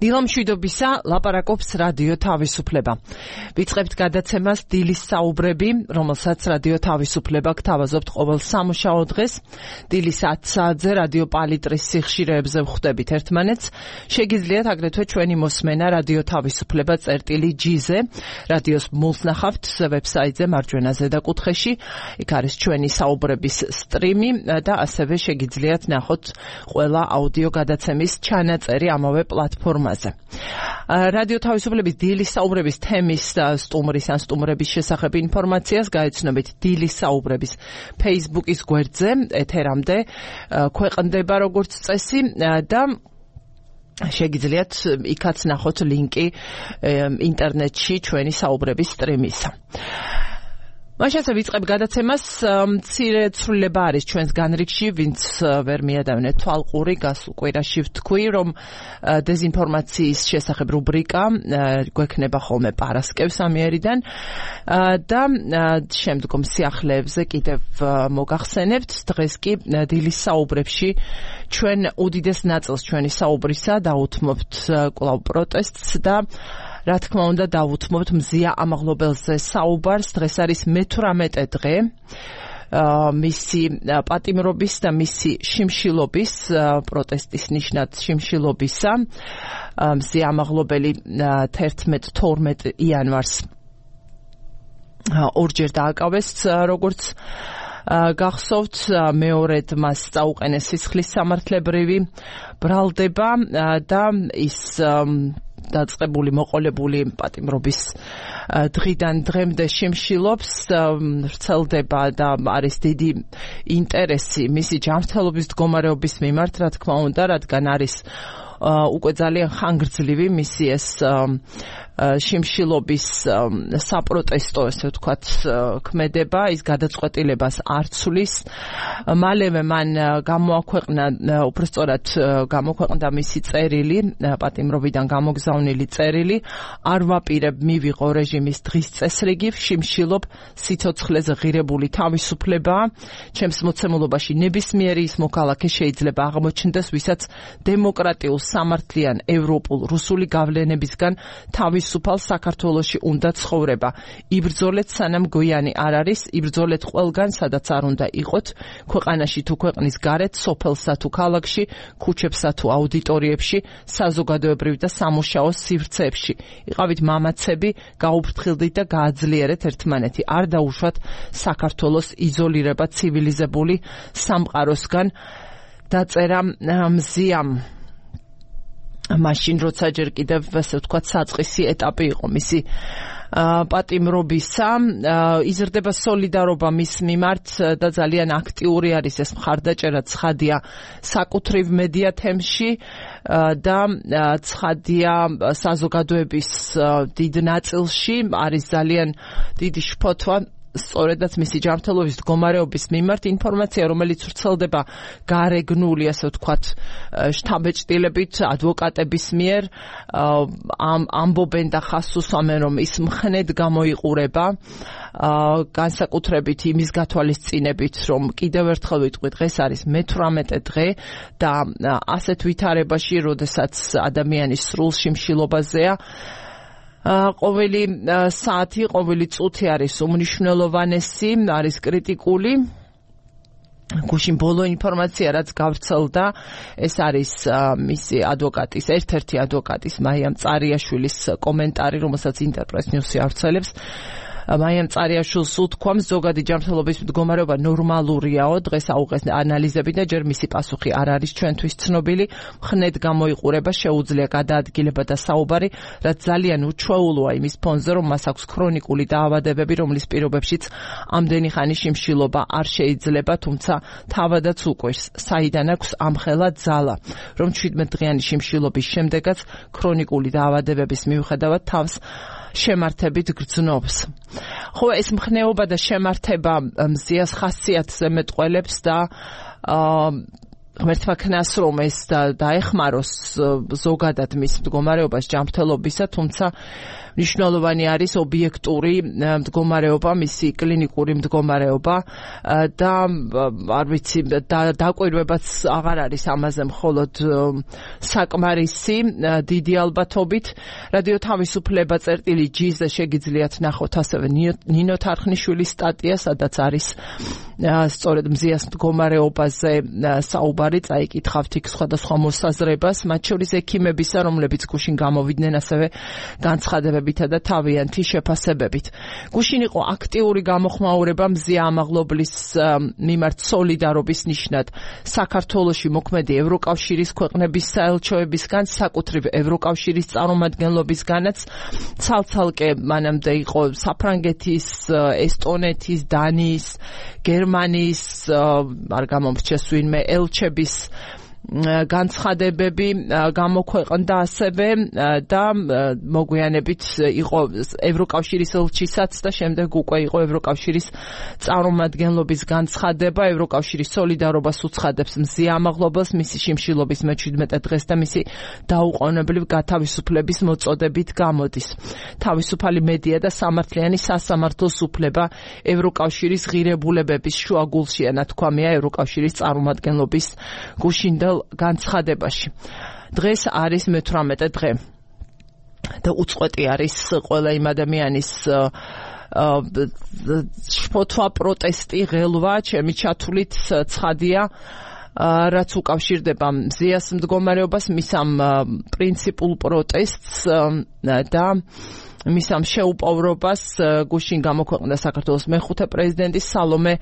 დილამშვიდობისა ლაპარაკობს რადიო თავისუფლება. ვიწყებთ გადაცემას დილის საუბრები, რომელსაც რადიო თავისუფლება გთავაზობთ ყოველ სამუშაო დღეს. დილის 10 საათზე რადიო პალიტრის სიხშირეებზე ვხვდებით ერთმანეთს. შეგიძლიათ აგრეთვე ჩვენი მოსმენა რადიო თავისუფლება წერტილი.gz-ზე, რადიოს მულს ნახავთ ვებსაიტზე მარჯვენა ზედა კუთხეში. იქ არის ჩვენი საუბრების სტრიმი და ასევე შეგიძლიათ ნახოთ ყველა აუდიო გადაცემის ჩანაწერი ამავე პლატფორმაზე. რადიო თავისუფლების დილის საუბრების თემის სტუმრის ან სტუმრების შესახებ ინფორმაციას გაეცნობით დილის საუბრების Facebook-ის გვერდზე, ეთერამდე ქვეყნდება როგორც წესი და შეგიძლიათ იქაც ნახოთ ლინკი ინტერნეტში ჩვენი საუბრების სტრიმისა. მაშასე ვიწყებ გადაცემას, მცირე ცვლილება არის ჩვენს განრიგში, ვინც ვერ მიადევნეთ თვალყური, გასულ კვირაში ვთქვი, რომ დეზინფორმაციის შესახებ რუბრიკა გვექნება ხოლმე პარასკევს ამიერიდან და შემდგომ სიახლეებზე კიდევ მოგახსენებთ. დღეს კი დილის საუბრებში ჩვენ უდიდეს ნაწილს ჩვენი საუბრისა დავუთმობთ კვლავ პროტესტს და რა თქმა უნდა დავუთმობთ მზია ამაღლობელზე საუბარს. დღეს არის მე-18 დღე მისი პატიმრობის და მისი შიმშილობის, პროტესტის ნიშნად შიმშილობისა. მზია ამაღლობელი 11-12 იანვარს ორჯერ დააკავეს, როგორც გახსოვთ, მეორედ მას წაუყენეს სისხლის სამართლებრივი ბრალდება და ის დაწყებული მოყოლებული პატიმრობის დღიდან დღემდე შიმშილობს, ვრცელდება და არის დიდი ინტერესი მისი ჯანმრთელობის მდგომარეობის მიმართ, რა თქმა უნდა, რადგან არის უკვე ძალიან ხანგრძლივი მისი ეს შიმშილობის საპროტესტო, ესე ვთქვათ, ქმედება, ის გადაწყვეტილებას არ ცვლის. მალევე მან გამოაქვეყნა, უბრალოდ გამოქვეყნდა მისი წერილი, პატიმრობიდან გამოგზავნილი წერილი, არ ვაპირებ მივიღო რეჟიმის დღის წესრიგი, შიმშილობ სიცოცხლეზე ღირებული თავისუფლებაა. ჩემს მოცემულობაში ნებისმიერი ის მოქალაქე შეიძლება აღმოჩნდეს, ვისაც დემოკრატიულ სამართლიან ევროპულ რუსული გავლენებისგან თავისუფალ საქართველოში უნდა ცხოვრება. იბრძოლეთ სანამ გვიანი არ არის, იბრძოლეთ ყველგან, სადაც არ უნდა იყოთ, ქვეყანაში თუ ქვეყნის გარეთ, სოფელსა თუ ქალაქში, ქუჩებსა თუ აუდიტორიებში, საზოგადოებრივ და სამუშაო სივრცეებში. იყავით მამაცები, გაუფრთხილდით და გააძლიერეთ ერთმანეთი. არ დაუშვათ საქართველოს იზოლირება ცივილიზებული სამყაროსგან. დაწერა მზიამ. მაშინ როცა ჯერ კიდევ ასე ვთქვათ საწყისი ეტაპი იყო მისი პატიმრობისა, იზრდება სოლიდარობა მის მიმართ და ძალიან აქტიური არის ეს მხარდაჭერა, ცხადია საკუთრივ მედია თემში და ცხადია საზოგადოების დიდ ნაწილში, არის ძალიან დიდი შფოთვა სწორედაც მისი ჯანმრთელობის მდგომარეობის მიმართ. ინფორმაცია, რომელიც ვრცელდება გარეგნული, ასე ვთქვათ, შთაბეჭდილებით ადვოკატების მიერ, ამბობენ და ხაზს უსვამენ, რომ ის მხნედ გამოიყურება, განსაკუთრებით იმის გათვალისწინებით, რომ კიდევ ერთხელ ვიტყვი, დღეს არის მე-18 დღე და ასეთ ვითარებაში, როდესაც ადამიანის სრულ შიმშილობაზეა, ყოველი საათი, ყოველი წუთი არის უმნიშვნელოვანესი, არის კრიტიკული. გუშინ ბოლო ინფორმაცია, რაც გავრცელდა, ეს არის მისი ადვოკატის, ერთ-ერთი ადვოკატის, მაიამ წარიაშვილის კომენტარი, რომელსაც ინტერპრეს ნიუსი ავრცელებს. მაიამ წარიაშვილს უთქვამს, ზოგადი ჯანმრთელობის მდგომარეობა ნორმალურიაო, დღეს აუღეს ანალიზები და ჯერ მისი პასუხი არ არის ჩვენთვის ცნობილი. მხნედ გამოიყურება, შეუძლია გადაადგილება და საუბარი, რაც ძალიან უჩვეულოა იმის ფონზე, რომ მას აქვს ქრონიკული დაავადებები, რომლის პირობებშიც ამდენი ხანი შიმშილობა არ შეიძლება, თუმცა თავადაც უკვირს, საიდან აქვს ამხელა ძალა, რომ 17 დღიანი შიმშილობის შემდეგაც ქრონიკული დაავადებების მიუხედავად თავს შემართებით გრძნობს. ხო, ეს მხნეობა და შემართება მზიას ხასიათზე მეტყველებს და ღმერთმა ქნას რომ ეს დაეხმაროს ზოგადად მის მდგომარეობას ჯანმრთელობისა, თუმცა მნიშვნელოვანი არის ობიექტური მდგომარეობა, მისი კლინიკური მდგომარეობა და არ ვიცი, დაკვირვებაც აღარ არის ამაზე მხოლოდ საკმარისი დიდი ალბათობით. რადიო თავისუფლება წერტილი G-ზე შეგიძლიათ ნახოთ ასევე ნინო თარხნიშვილის სტატია, სადაც არის სწორედ მზიას მდგომარეობაზე საუბარი, წაიკითხავთ იქ სხვადასხვა მოსაზრებას, მათ შორის ექიმებისა, რომლებიც გუშინ გამოვიდნენ ასევე განცხადებებითა და თავიანთი შეფასებებით. გუშინ იყო აქტიური გამოხმაურება მზია ამაღლობლის მიმართ სოლიდარობის ნიშნად საქართველოში მოქმედი ევროკავშირის ქვეყნების საელჩოებისგან, საკუთრივ ევროკავშირის წარმომადგენლობისგანაც, ცალ-ცალკე მანამდე იყო საფრანგეთის, ესტონეთის, დანიის, გერმანიის, არ გამომრჩეს ვინმე ელჩების განცხადებები გამოქვეყნდა ასევე და მოგვიანებით იყო ევროკავშირის ელჩისაც და შემდეგ უკვე იყო ევროკავშირის წარმომადგენლობის განცხადება. ევროკავშირის სოლიდარობას უცხადებს მზია ამაღლობელს მისი შიმშილობის მე-17 დღეს და მისი დაუყოვნებლივ გათავისუფლების მოწოდებით გამოდის. თავისუფალი მედია და სამართლიანი სასამართლოს უფლება ევროკავშირის ღირებულებების შუაგულშია, ნათქვამია ევროკავშირის წარმომადგენლობის გუშინდელ განცხადებაში. დღეს არის მე-18 დღე და უწყვეტი არის ყველა იმ ადამიანის შფოთვა, პროტესტი, ღელვა, ჩემი ჩათვლით ცხადია, რაც უკავშირდება მზიას მდგომარეობას, მის ამ პრინციპულ პროტესტს და მის ამ შეუპოვრობას. გუშინ გამოქვეყნდა საქართველოს მეხუთე პრეზიდენტის სალომე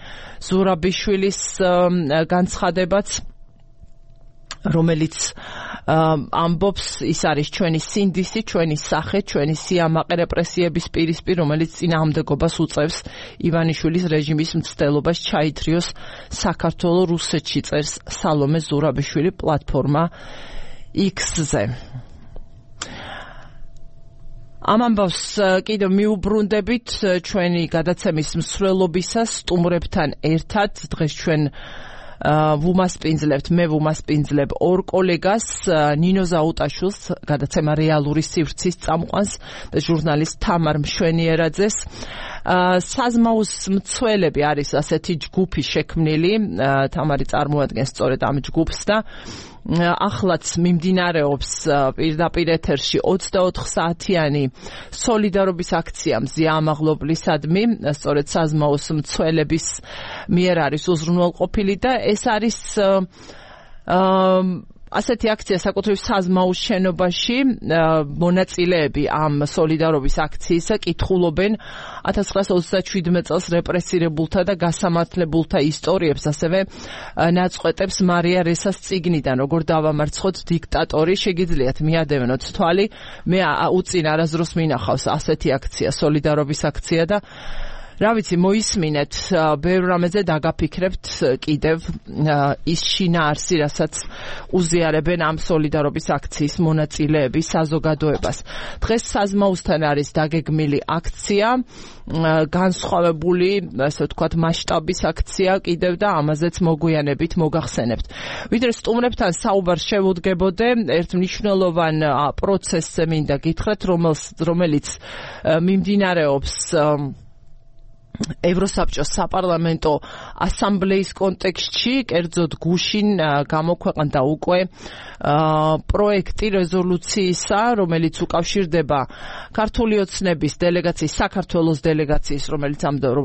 ზურაბიშვილის განცხადებაც, რომელიც ამბობს, ის არის ჩვენი სინდისი, ჩვენი სახე, ჩვენი სიამაყე რეპრესიების პირისპირ, რომელიც წინააღმდეგობას უწევს ივანიშვილის რეჟიმის მცდელობას ჩაითრიოს საქართველო რუსეთში, წერს სალომე ზურაბიშვილი პლატფორმა X-ზე. ამ ამბავს კიდევ მიუბრუნდებით ჩვენი გადაცემის მსვლელობისას სტუმრებთან ერთად. დღეს ჩვენ ვუმასპინძლებთ, მე ვუმასპინძლებ ორ კოლეგას, ნინო ზაუტაშვილს, გადაცემა რეალური სივრცის წამყვანს და ჟურნალისტ თამარ მშვენიერაძეს. საზმაუს მცველები არის ასეთი ჯგუფი შექმნილი, თამარი წარმოადგენს სწორედ ამ ჯგუფს და ახლაც მიმდინარეობს პირდაპირ ეთერში 24 საათიანი სოლიდარობის აქცია მზია ამაღლობლისადმი, სწორედ საზმაუს მცველების მიერ არის უზრუნველყოფილი და ეს არის ასეთი აქცია საკუთრივ საზმაუს შენობაში. მონაწილეები ამ სოლიდარობის აქციისა კითხულობენ 1927 წელს რეპრესირებულთა და გასამართლებულთა ისტორიებს, ასევე ნაწყვეტებს მარია რესას წიგნიდან, როგორ დავამარცხოთ დიქტატორი. შეგიძლიათ მიადევნოთ თვალი, მე უწინ არასდროს მინახავს ასეთი აქცია, სოლიდარობის აქცია და რა ვიცი, მოისმინეთ, ბევრ რამეზე დაგაფიქრებთ კიდევ ის შინაარსი, რასაც უზიარებენ ამ სოლიდარობის აქციის მონაწილეები საზოგადოებას. დღეს საზმაუსთან არის დაგეგმილი აქცია, განსხვავებული, ასე ვთქვათ, მასშტაბის აქცია კიდევ და ამაზეც მოგვიანებით მოგახსენებთ. ვიდრე სტუმრებთან საუბარს შევუდგებოდე, ერთ მნიშვნელოვან პროცესზე მინდა გითხრათ, რომელიც მიმდინარეობს ევროსაბჭოს საპარლამენტო ასამბლეის კონტექსტში. კერძოდ გუშინ გამოქვეყნდა უკვე პროექტი რეზოლუციისა, რომელიც უკავშირდება ქართული ოცნების დელეგაციის, საქართველოს დელეგაციის, რომელიც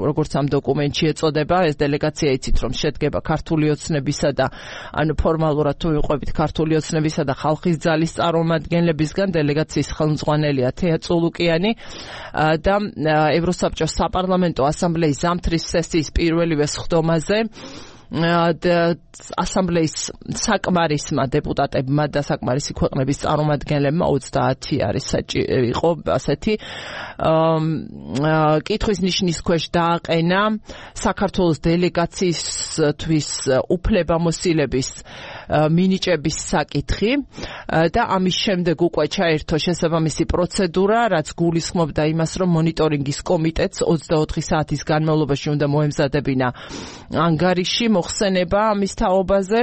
როგორც ამ დოკუმენტში ეწოდება, ეს დელეგაცია იცით რომ შედგება ქართული ოცნებისა და ანუ ფორმალურად თუ ვიყვებით ქართული ოცნებისა და ხალხის ძალის წარმომადგენლებისგან, დელეგაციის ხელმძღვანელია თეა წულუკიანი და ევროსაბჭოს საპარლამენტო ასამბლეის ზამთრის სესიის პირველივე სხდომაზე ასამბლეის საკმარისმა დეპუტატებმა და საკმარისი ქვეყნების წარმომადგენლებმა 30 არის იყო ასეთი კითხვის ნიშნის ქვეშ დააყენა საქართველოს დელეგაციისთვის უფლებამოსილების მინიჭების საკითხი და ამის შემდეგ უკვე ჩაერთო შესაბამისი პროცედურა, რაც გულისხმობდა იმას, რომ მონიტორინგის კომიტეტს 24 საათის განმავლობაში უნდა მოემზადებინა ანგარიში, მოხსენება ამის თაობაზე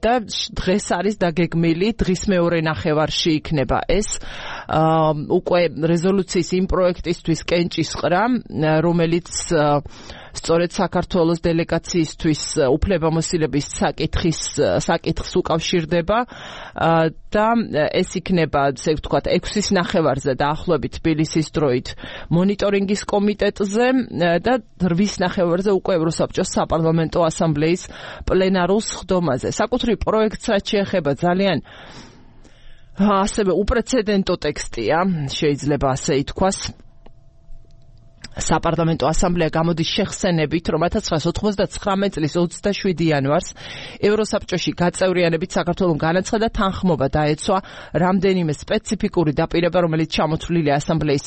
და დღეს არის დაგეგმილი, დღის მეორე ნახევარში იქნება ეს უკვე რეზოლუციის იმ პროექტისთვის კენჭისყრა, რომელიც სწორედ საქართველოს დელეგაციისთვის უფლებამოსილების საკითხს უკავშირდება და ეს იქნება, ესე ვთქვათ, 6-ის ნახევარზე დაახლოებით თბილისის დროით მონიტორინგის კომიტეტზე და 8-ის ნახევარზე უკვე ევროსაბჭოს საპარლამენტო ასამბლეის პლენარულ სხდომაზე. საკუთრივ პროექტს რაც შეეხება ძალიან ასევე უპრეცედენტო ტექსტია, შეიძლება ასე ითქვას. საპარლამენტო ასამბლეა გამოდის შეხსენებით, რომ 1999 წლის 27 იანვარს ევროსაბჭოში გაწევრიანებით საქართველოს განაცხადა თანხმობა დაეცვა რამდენიმე სპეციფიკური დაპირება, რომელიც ჩამოთვლილია ასამბლეის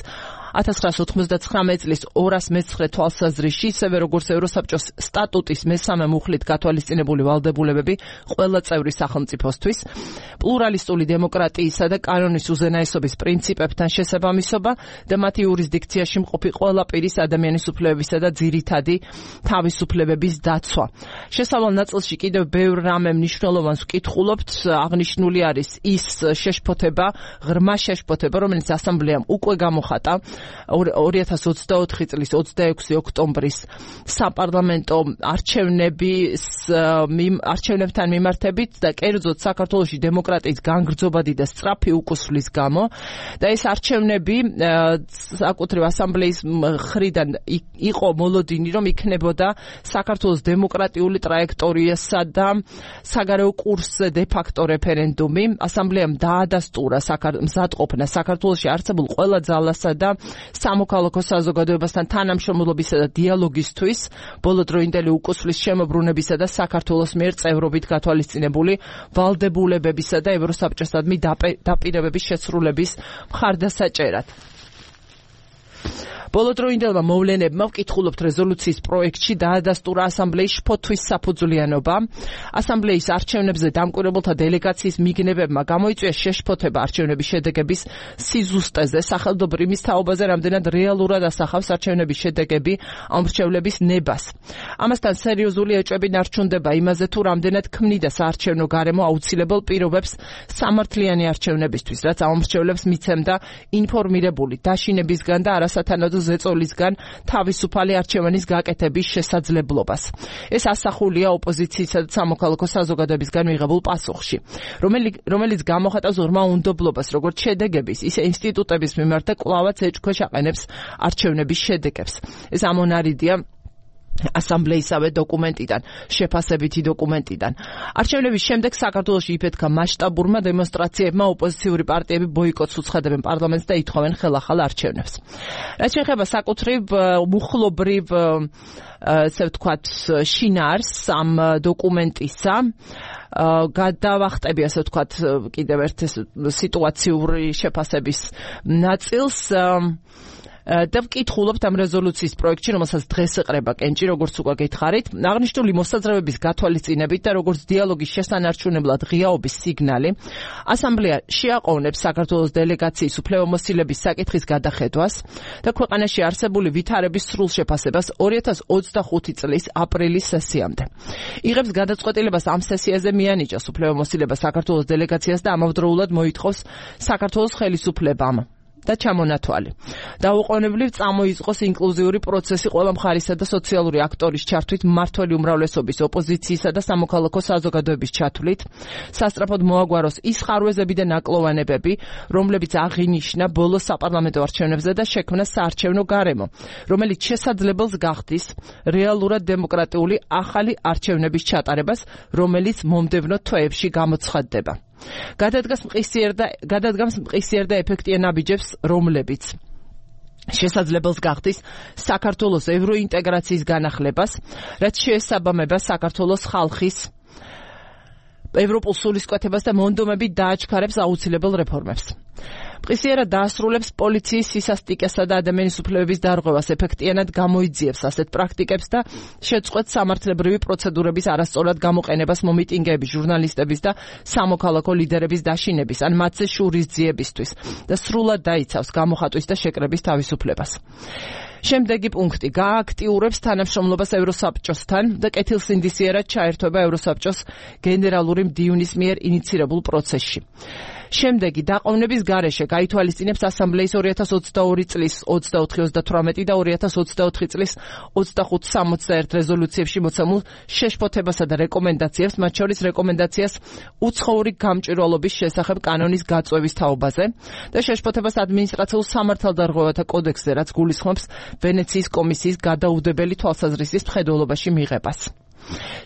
1999 წლის 209 თვალსაზრისში, ისევე როგორც ევროსაბჭოს სტატუტის მესამე მუხლით გათვალისწინებული ვალდებულებები ყველა წევრი სახელმწიფოსთვის, პლურალისტული დემოკრატიისა და კანონის უზენაესობის პრინციპებთან შესაბამისობა და მათი იურისდიქციაში მყოფი ყველა პირის ადამიანის უფლებებისა და ძირითადი თავისუფლებების დაცვა. შესავალ ნაწილში კიდევ ბევრ რამე მნიშვნელოვანს ვკითხულობთ, აღნიშნული არის ის შეშფოთება, ღრმა შეშფოთება, რომელიც ასამბლეამ უკვე გამოხატა 2024 წლის 26 ოქტომბრის საპარლამენტო არჩევნებთან მიმართებით და კერძოდ საქართველოში დემოკრატიის განგრძობადი და სწრაფი უკუსვლის გამო და ეს არჩევნები საკუთრივ ასამბლეის მხრიდან იყო მოლოდინი, რომ იქნებოდა საქართველოს დემოკრატიული ტრაექტორიასა და საგარეო კურსზე დე-ფაქტო რეფერენდუმი. ასამბლეამ დაადასტურა მზადყოფნა საქართველოში არსებულ ყველა ძალასა და სამოქალაქო საზოგადოებასთან თანამშრომლობისა და დიალოგისთვის, ბოლოდროინდელი უკუსვლის შემოbrunებისა და საქართველოს მიერ წევრობით გათვალისწინებული ვალდებულებებისა და ევროსაბჭოსადმი დაპირებების შესრულების მხარდასაჭერად. ბოლოდროინდელმა მოვლენებმა ვკითხულობთ რეზოლუციის პროექტში დაადასტურა ასამბლეის შფოთვის საფუძვლიანობა. ასამბლეის არჩევნებზე დამკვირვებელთა დელეგაციის მიგნებებმა გამოიწვია შეშფოთება არჩევნების შედეგების სიზუსტეზე, სახელმწიფოს თაობაზე რამდენად რეალურად ასახავს არჩევნების შედეგები ამრჩევლების ნებას. ამასთან სერიოზული ეჭვები ნარჩუნდება იმაზე, თუ რამდენად ქმნიდა საარჩევნო გარემო აუცილებელ პირობებს სამართლიანი არჩევნებისთვის, რაც ამრჩევლებს მიცემდა ინფორმირებული დაშინებისგან და არასათანადო ზეწოლისგან თავისუფალი არჩევანის გაკეთების შესაძლებლობას. ეს ასახულია ოპოზიციისა და სამოქალაქო საზოგადოებისგან მიღებულ პასუხში, რომელიც გამოხატავს ორმაუნდობლობას როგორც შედეგების, ისე ინსტიტუტების მიმართ და კვლავაც ეჭქვეშ აყენებს არჩევნების შედეგებს. ეს ამონარიდია ასამბლეისავე დოკუმენტიდან, შეფასებითი დოკუმენტიდან. არჩევნების შემდეგ საქართველოში იფეთქა მასშტაბურმა დემონსტრაციებმა, ოპოზიციური პარტიები ბოიკოტს უცხადებენ პარლამენტს და ითხოვენ ხელახალ არჩევნებს. რაც შეეხება საკუთრივ მუხლობრივ ესე ვთქვათ შინაარს ამ დოკუმენტისა, გადავახტები ასე ვთქვათ კიდევ ერთ სიტუაციური შეფასების ნაწილს და ვკითხულობთ ამ რეზოლუციის პროექტში, რომელსაც დღეს ეყრება კენჭი, როგორც უკვე გითხარით, აღნიშნული მოსაზრებების გათვალისწინებით და როგორც დიალოგის შესანარჩუნებლად ღიაობის სიგნალი, ასამბლეა შეაყოვნებს საქართველოს დელეგაციის უფლებამოსილების საკითხის გადახედვას და ქვეყანაში არსებული ვითარების სრულ შეფასებას 2025 წლის აპრილის სესიამდე. იღებს გადაწყვეტილებას ამ სესიაზე მიანიჭოს უფლებამოსილება საქართველოს დელეგაციას და ამავდროულად მოითხოვს საქართველოს ხელისუფლებამ და ჩამონათვალი. დაუყოვნებლივ წამოიწყოს ინკლუზიური პროცესი ყველა მხარისა და სოციალური აქტორის ჩართვით, მმართველი უმრავლესობის, ოპოზიციისა და სამოქალაქო საზოგადოების ჩათვლით, სასწრაფოდ მოაგვაროს ის ხარვეზები და ნაკლოვანებები, რომლებიც აღინიშნა ბოლო საპარლამენტო არჩევნებზე და შექმნა საარჩევნო გარემო, რომელიც შესაძლებელს გახდის რეალურად დემოკრატიული ახალი არჩევნების ჩატარებას, რომელიც მომდევნო თვეებში გამოცხადდება. გადადგამს მყისიერ და ეფექტიან ნაბიჯებს, რომლებიც შესაძლებელს გახდის საქართველოს ევროინტეგრაციის განახლებას, რაც შეესაბამება საქართველოს ხალხის ევროპულ სულისკვეთებას და მონდომებით დააჩქარებს აუცილებელ რეფორმებს. მყისიერად დაასრულებს პოლიციის სისასტიკესა და ადამიანის უფლებების დარღვევას, ეფექტიანად გამოიძიებს ასეთ პრაქტიკებს და შეწყვეტს სამართლებრივი პროცედურების არასწორად გამოყენებას მომიტინგეების, ჟურნალისტების და სამოქალაქო ლიდერების დაშინების ან მათზე შურისძიებისთვის და სრულად დაიცავს გამოხატვის და შეკრების თავისუფლებას. შემდეგი პუნქტი გააქტიურებს თანამშრომლობას ევროსაბჭოსთან და კეთილსინდისიერად ჩაერთვება ევროსაბჭოს გენერალური მდივნის მიერ ინიცირებულ პროცესში. შემდეგი დაყოვნების გარეშე გაითვალისწინებს ასამბლეის 2022 წლის 24-38 და 2024 წლის 25-61 რეზოლუციებში მოცემულ შეშფოთებასა და რეკომენდაციებს, მათ შორის რეკომენდაციას უცხოური გამჭვირვალობის შესახებ კანონის გაწვევის თაობაზე და შეშფოთებას ადმინისტრაციულ სამართალდარღვევათა კოდექსზე, რაც გულისხმობს ვენეციის კომისიის გადაუდებელი თვალსაზრისის მხედველობაში მიღებას.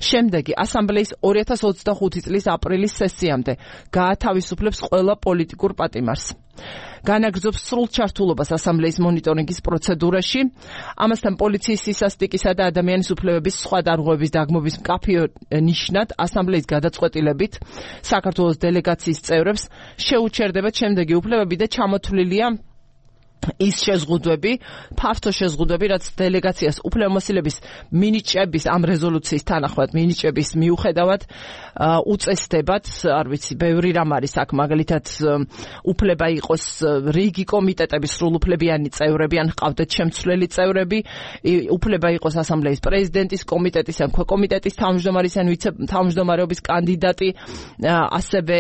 შემდეგი ასამბლეის 2025 წლის აპრილის სესიამდე გაათავისუფლებს ყველა პოლიტიკურ პატიმარს. განაგრძობს სრულ ჩართულობას ასამბლეის მონიტორინგის პროცედურაში, ამასთან პოლიციის სისასტიკისა და ადამიანის უფლებების სხვა დარღვევების დაგმობის მკაფიო ნიშნად ასამბლეის გადაწყვეტილებით საქართველოს დელეგაციის წევრებს შეუჩერდებათ შემდეგი უფლებები და ჩამოთვლილია ის შეზღუდვები, ფართო შეზღუდვები, რაც დელეგაციას უფლებამოსილების მინიჭების ამ რეზოლუციის თანახმად მინიჭების მიუხედავად უწესდებათ, არ ვიცი, ბევრი რამ არის აქ, მაგალითად უფლება იყოს რიგი კომიტეტების სრულუფლებიანი წევრები ან ჰყავდეთ შემცვლელი წევრები, უფლება იყოს ასამბლეის პრეზიდენტის კომიტეტის ან ქვეკომიტეტის თავმჯდომარის ან ვიცე-თავმჯდომარეობის კანდიდატი, ასევე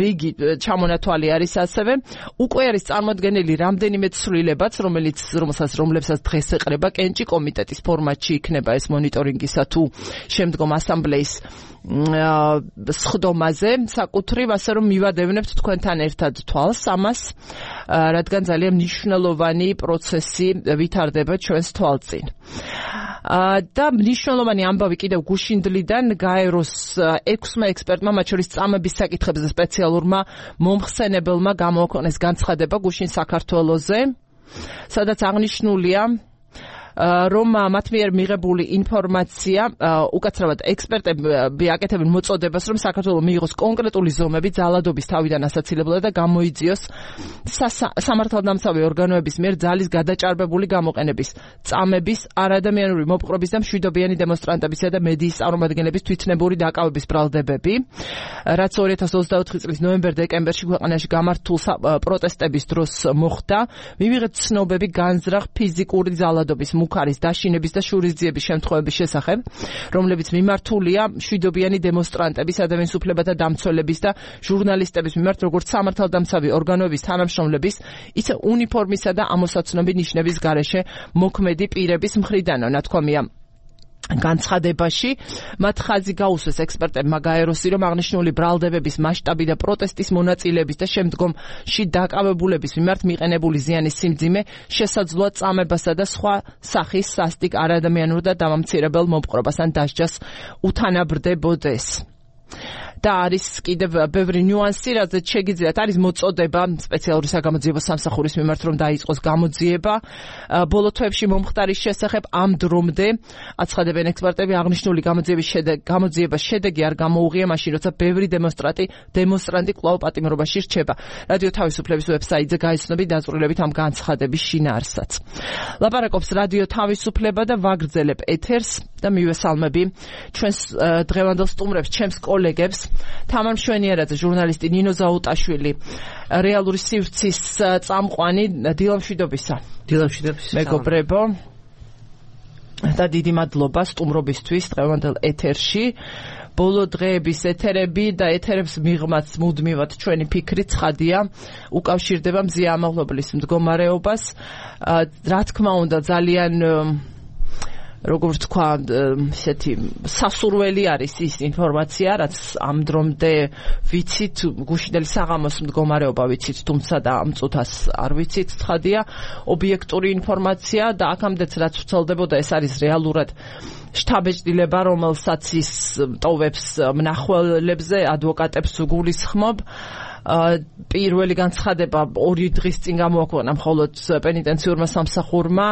რიგი ჩამონათვალი არის ასევე. უკვე არის წარმოდგენილი რამდენიმე ცვლილებაც, რომლებსაც დღეს ეყრება კენჭი კომიტეტის ფორმატში იქნება ეს მონიტორინგისა თუ შემდგომ ასამბლეის სხდომაზე საკუთრივ, ასე რომ მივადევნებთ თქვენთან ერთად თვალს ამას, რადგან ძალიან მნიშვნელოვანი პროცესი ვითარდება ჩვენს თვალწინ. და მნიშვნელოვანი ამბავი კიდევ გუშინდლიდან გაეროს 6 ექსპერტმა, მათ შორის წამების საკითხებზე სპეციალურმა მომხსენებელმა გამოაქვეყნეს განცხადება გუშინ საქართველოზე, სადაც აღნიშნულია, რომ მათ მიერ მიღებული ინფორმაცია, უკაცრავად ექსპერტები აკეთებენ მოწოდებას, რომ საქართველოს მიიღოს კონკრეტული ზომები ძალადობის თავიდან ასაცილებლად და გამოიძიოს სამართალდამცავი ორგანოების მიერ ძალის გადაჭარბებული გამოყენების, წამების, არადამიანური მოპყრობის და მშვიდობიანი დემონსტრანტებისა და მედიის წარმომადგენლების თვითნებური დაკავების ბრალდებები, რაც 2024 წლის ნოემბერ-დეკემბერში ქვეყანაში გამართულ პროტესტების დროს მოხდა, მივიღეთ ცნობები განზრახ ფიზიკური ძალადობის, მუქარის დაშინების და შურისძიების შემთხვევების შესახებ, რომლებიც მიმართულია მშვიდობიანი დემონსტრანტების, ადამიანის უფლებათა დამცველების და ჟურნალისტების მიმართ, როგორც სამართალდამცავი ორგანოების თანამშრომლების, ისე უნიფორმისა და ამოსაცნობი ნიშნების გარეშე მოქმედი პირების მხრიდან, ნათქვამია განცხადებაში. მათ ხაზი გაუსვეს ექსპერტებმა გაეროსი, რომ აღნიშნული ბრალდებების მასშტაბი და პროტესტის მონაწილეების და შემდგომში დაკავებულების მიმართ მიყენებული ზიანის სიმძიმე შესაძლოა წამებასა და სხვა სახის სასტიკ არადამიანურ და დამამცირებელ მოპყრობას ან დასჯას უთანაბრდებოდეს. და არის კიდევ ბევრი ნიუანსი, რაზეც შეგიძლიათ, არის მოწოდება სპეციალური საგამოძიებო სამსახურის მიმართ, რომ დაიწყოს გამოძიება ბოლო თვეებში მომხდარის შესახებ. ამ დრომდე აცხადებენ ექსპერტები, აღნიშნული გამოძიების შედეგი არ გამოუღია მაშინ, როცა ბევრი დემონსტრანტი კვლავ პატიმრობაში რჩება. რადიო თავისუფლების ვებსაიტზე გაიცნობი დაწვრილებით ამ განცხადების შინაარსსაც. ლაპარაკობს რადიო თავისუფლება და ვაგრძელებ ეთერს და მივესალმები ჩვენს დღევანდელ სტუმრებს, ჩემს კოლეგებს, თამარ მშვენიერაძე, ჟურნალისტი, ნინო ზაუტაშვილი, რეალური სივრცის წამყვანი, დილამშვიდობისა. დილამშვიდობისა. მეგობრებო, და დიდი მადლობა სტუმრობისთვის დღევანდელ ეთერში. ბოლო დღეების ეთერები და ეთერებს მიღმაც მუდმივად ჩვენი ფიქრი ცხადია, უკავშირდება მზია ამაღლობლის მდგომარეობას. რა თქმა უნდა, ძალიან როგორც თქვა, ესეთი სასურველი არის ის ინფორმაცია, რაც ამ დრომდე ვიცით, გუშინდელი საღამოს მდგომარეობა ვიცით, თუმცა და ამ წუთას არ ვიცით, ცხადია, ობიექტური ინფორმაცია და აქამდეც რაც ვრცელდებოდა, ეს არის რეალურად შთაბეჭდილება, რომელსაც ის ტოვებს მნახველებზე, ადვოკატებს გულისხმობ. პირველი განცხადება 2 დღის წინ გამოაქვეყნა მხოლოდ პენიტენციურმა სამსახურმა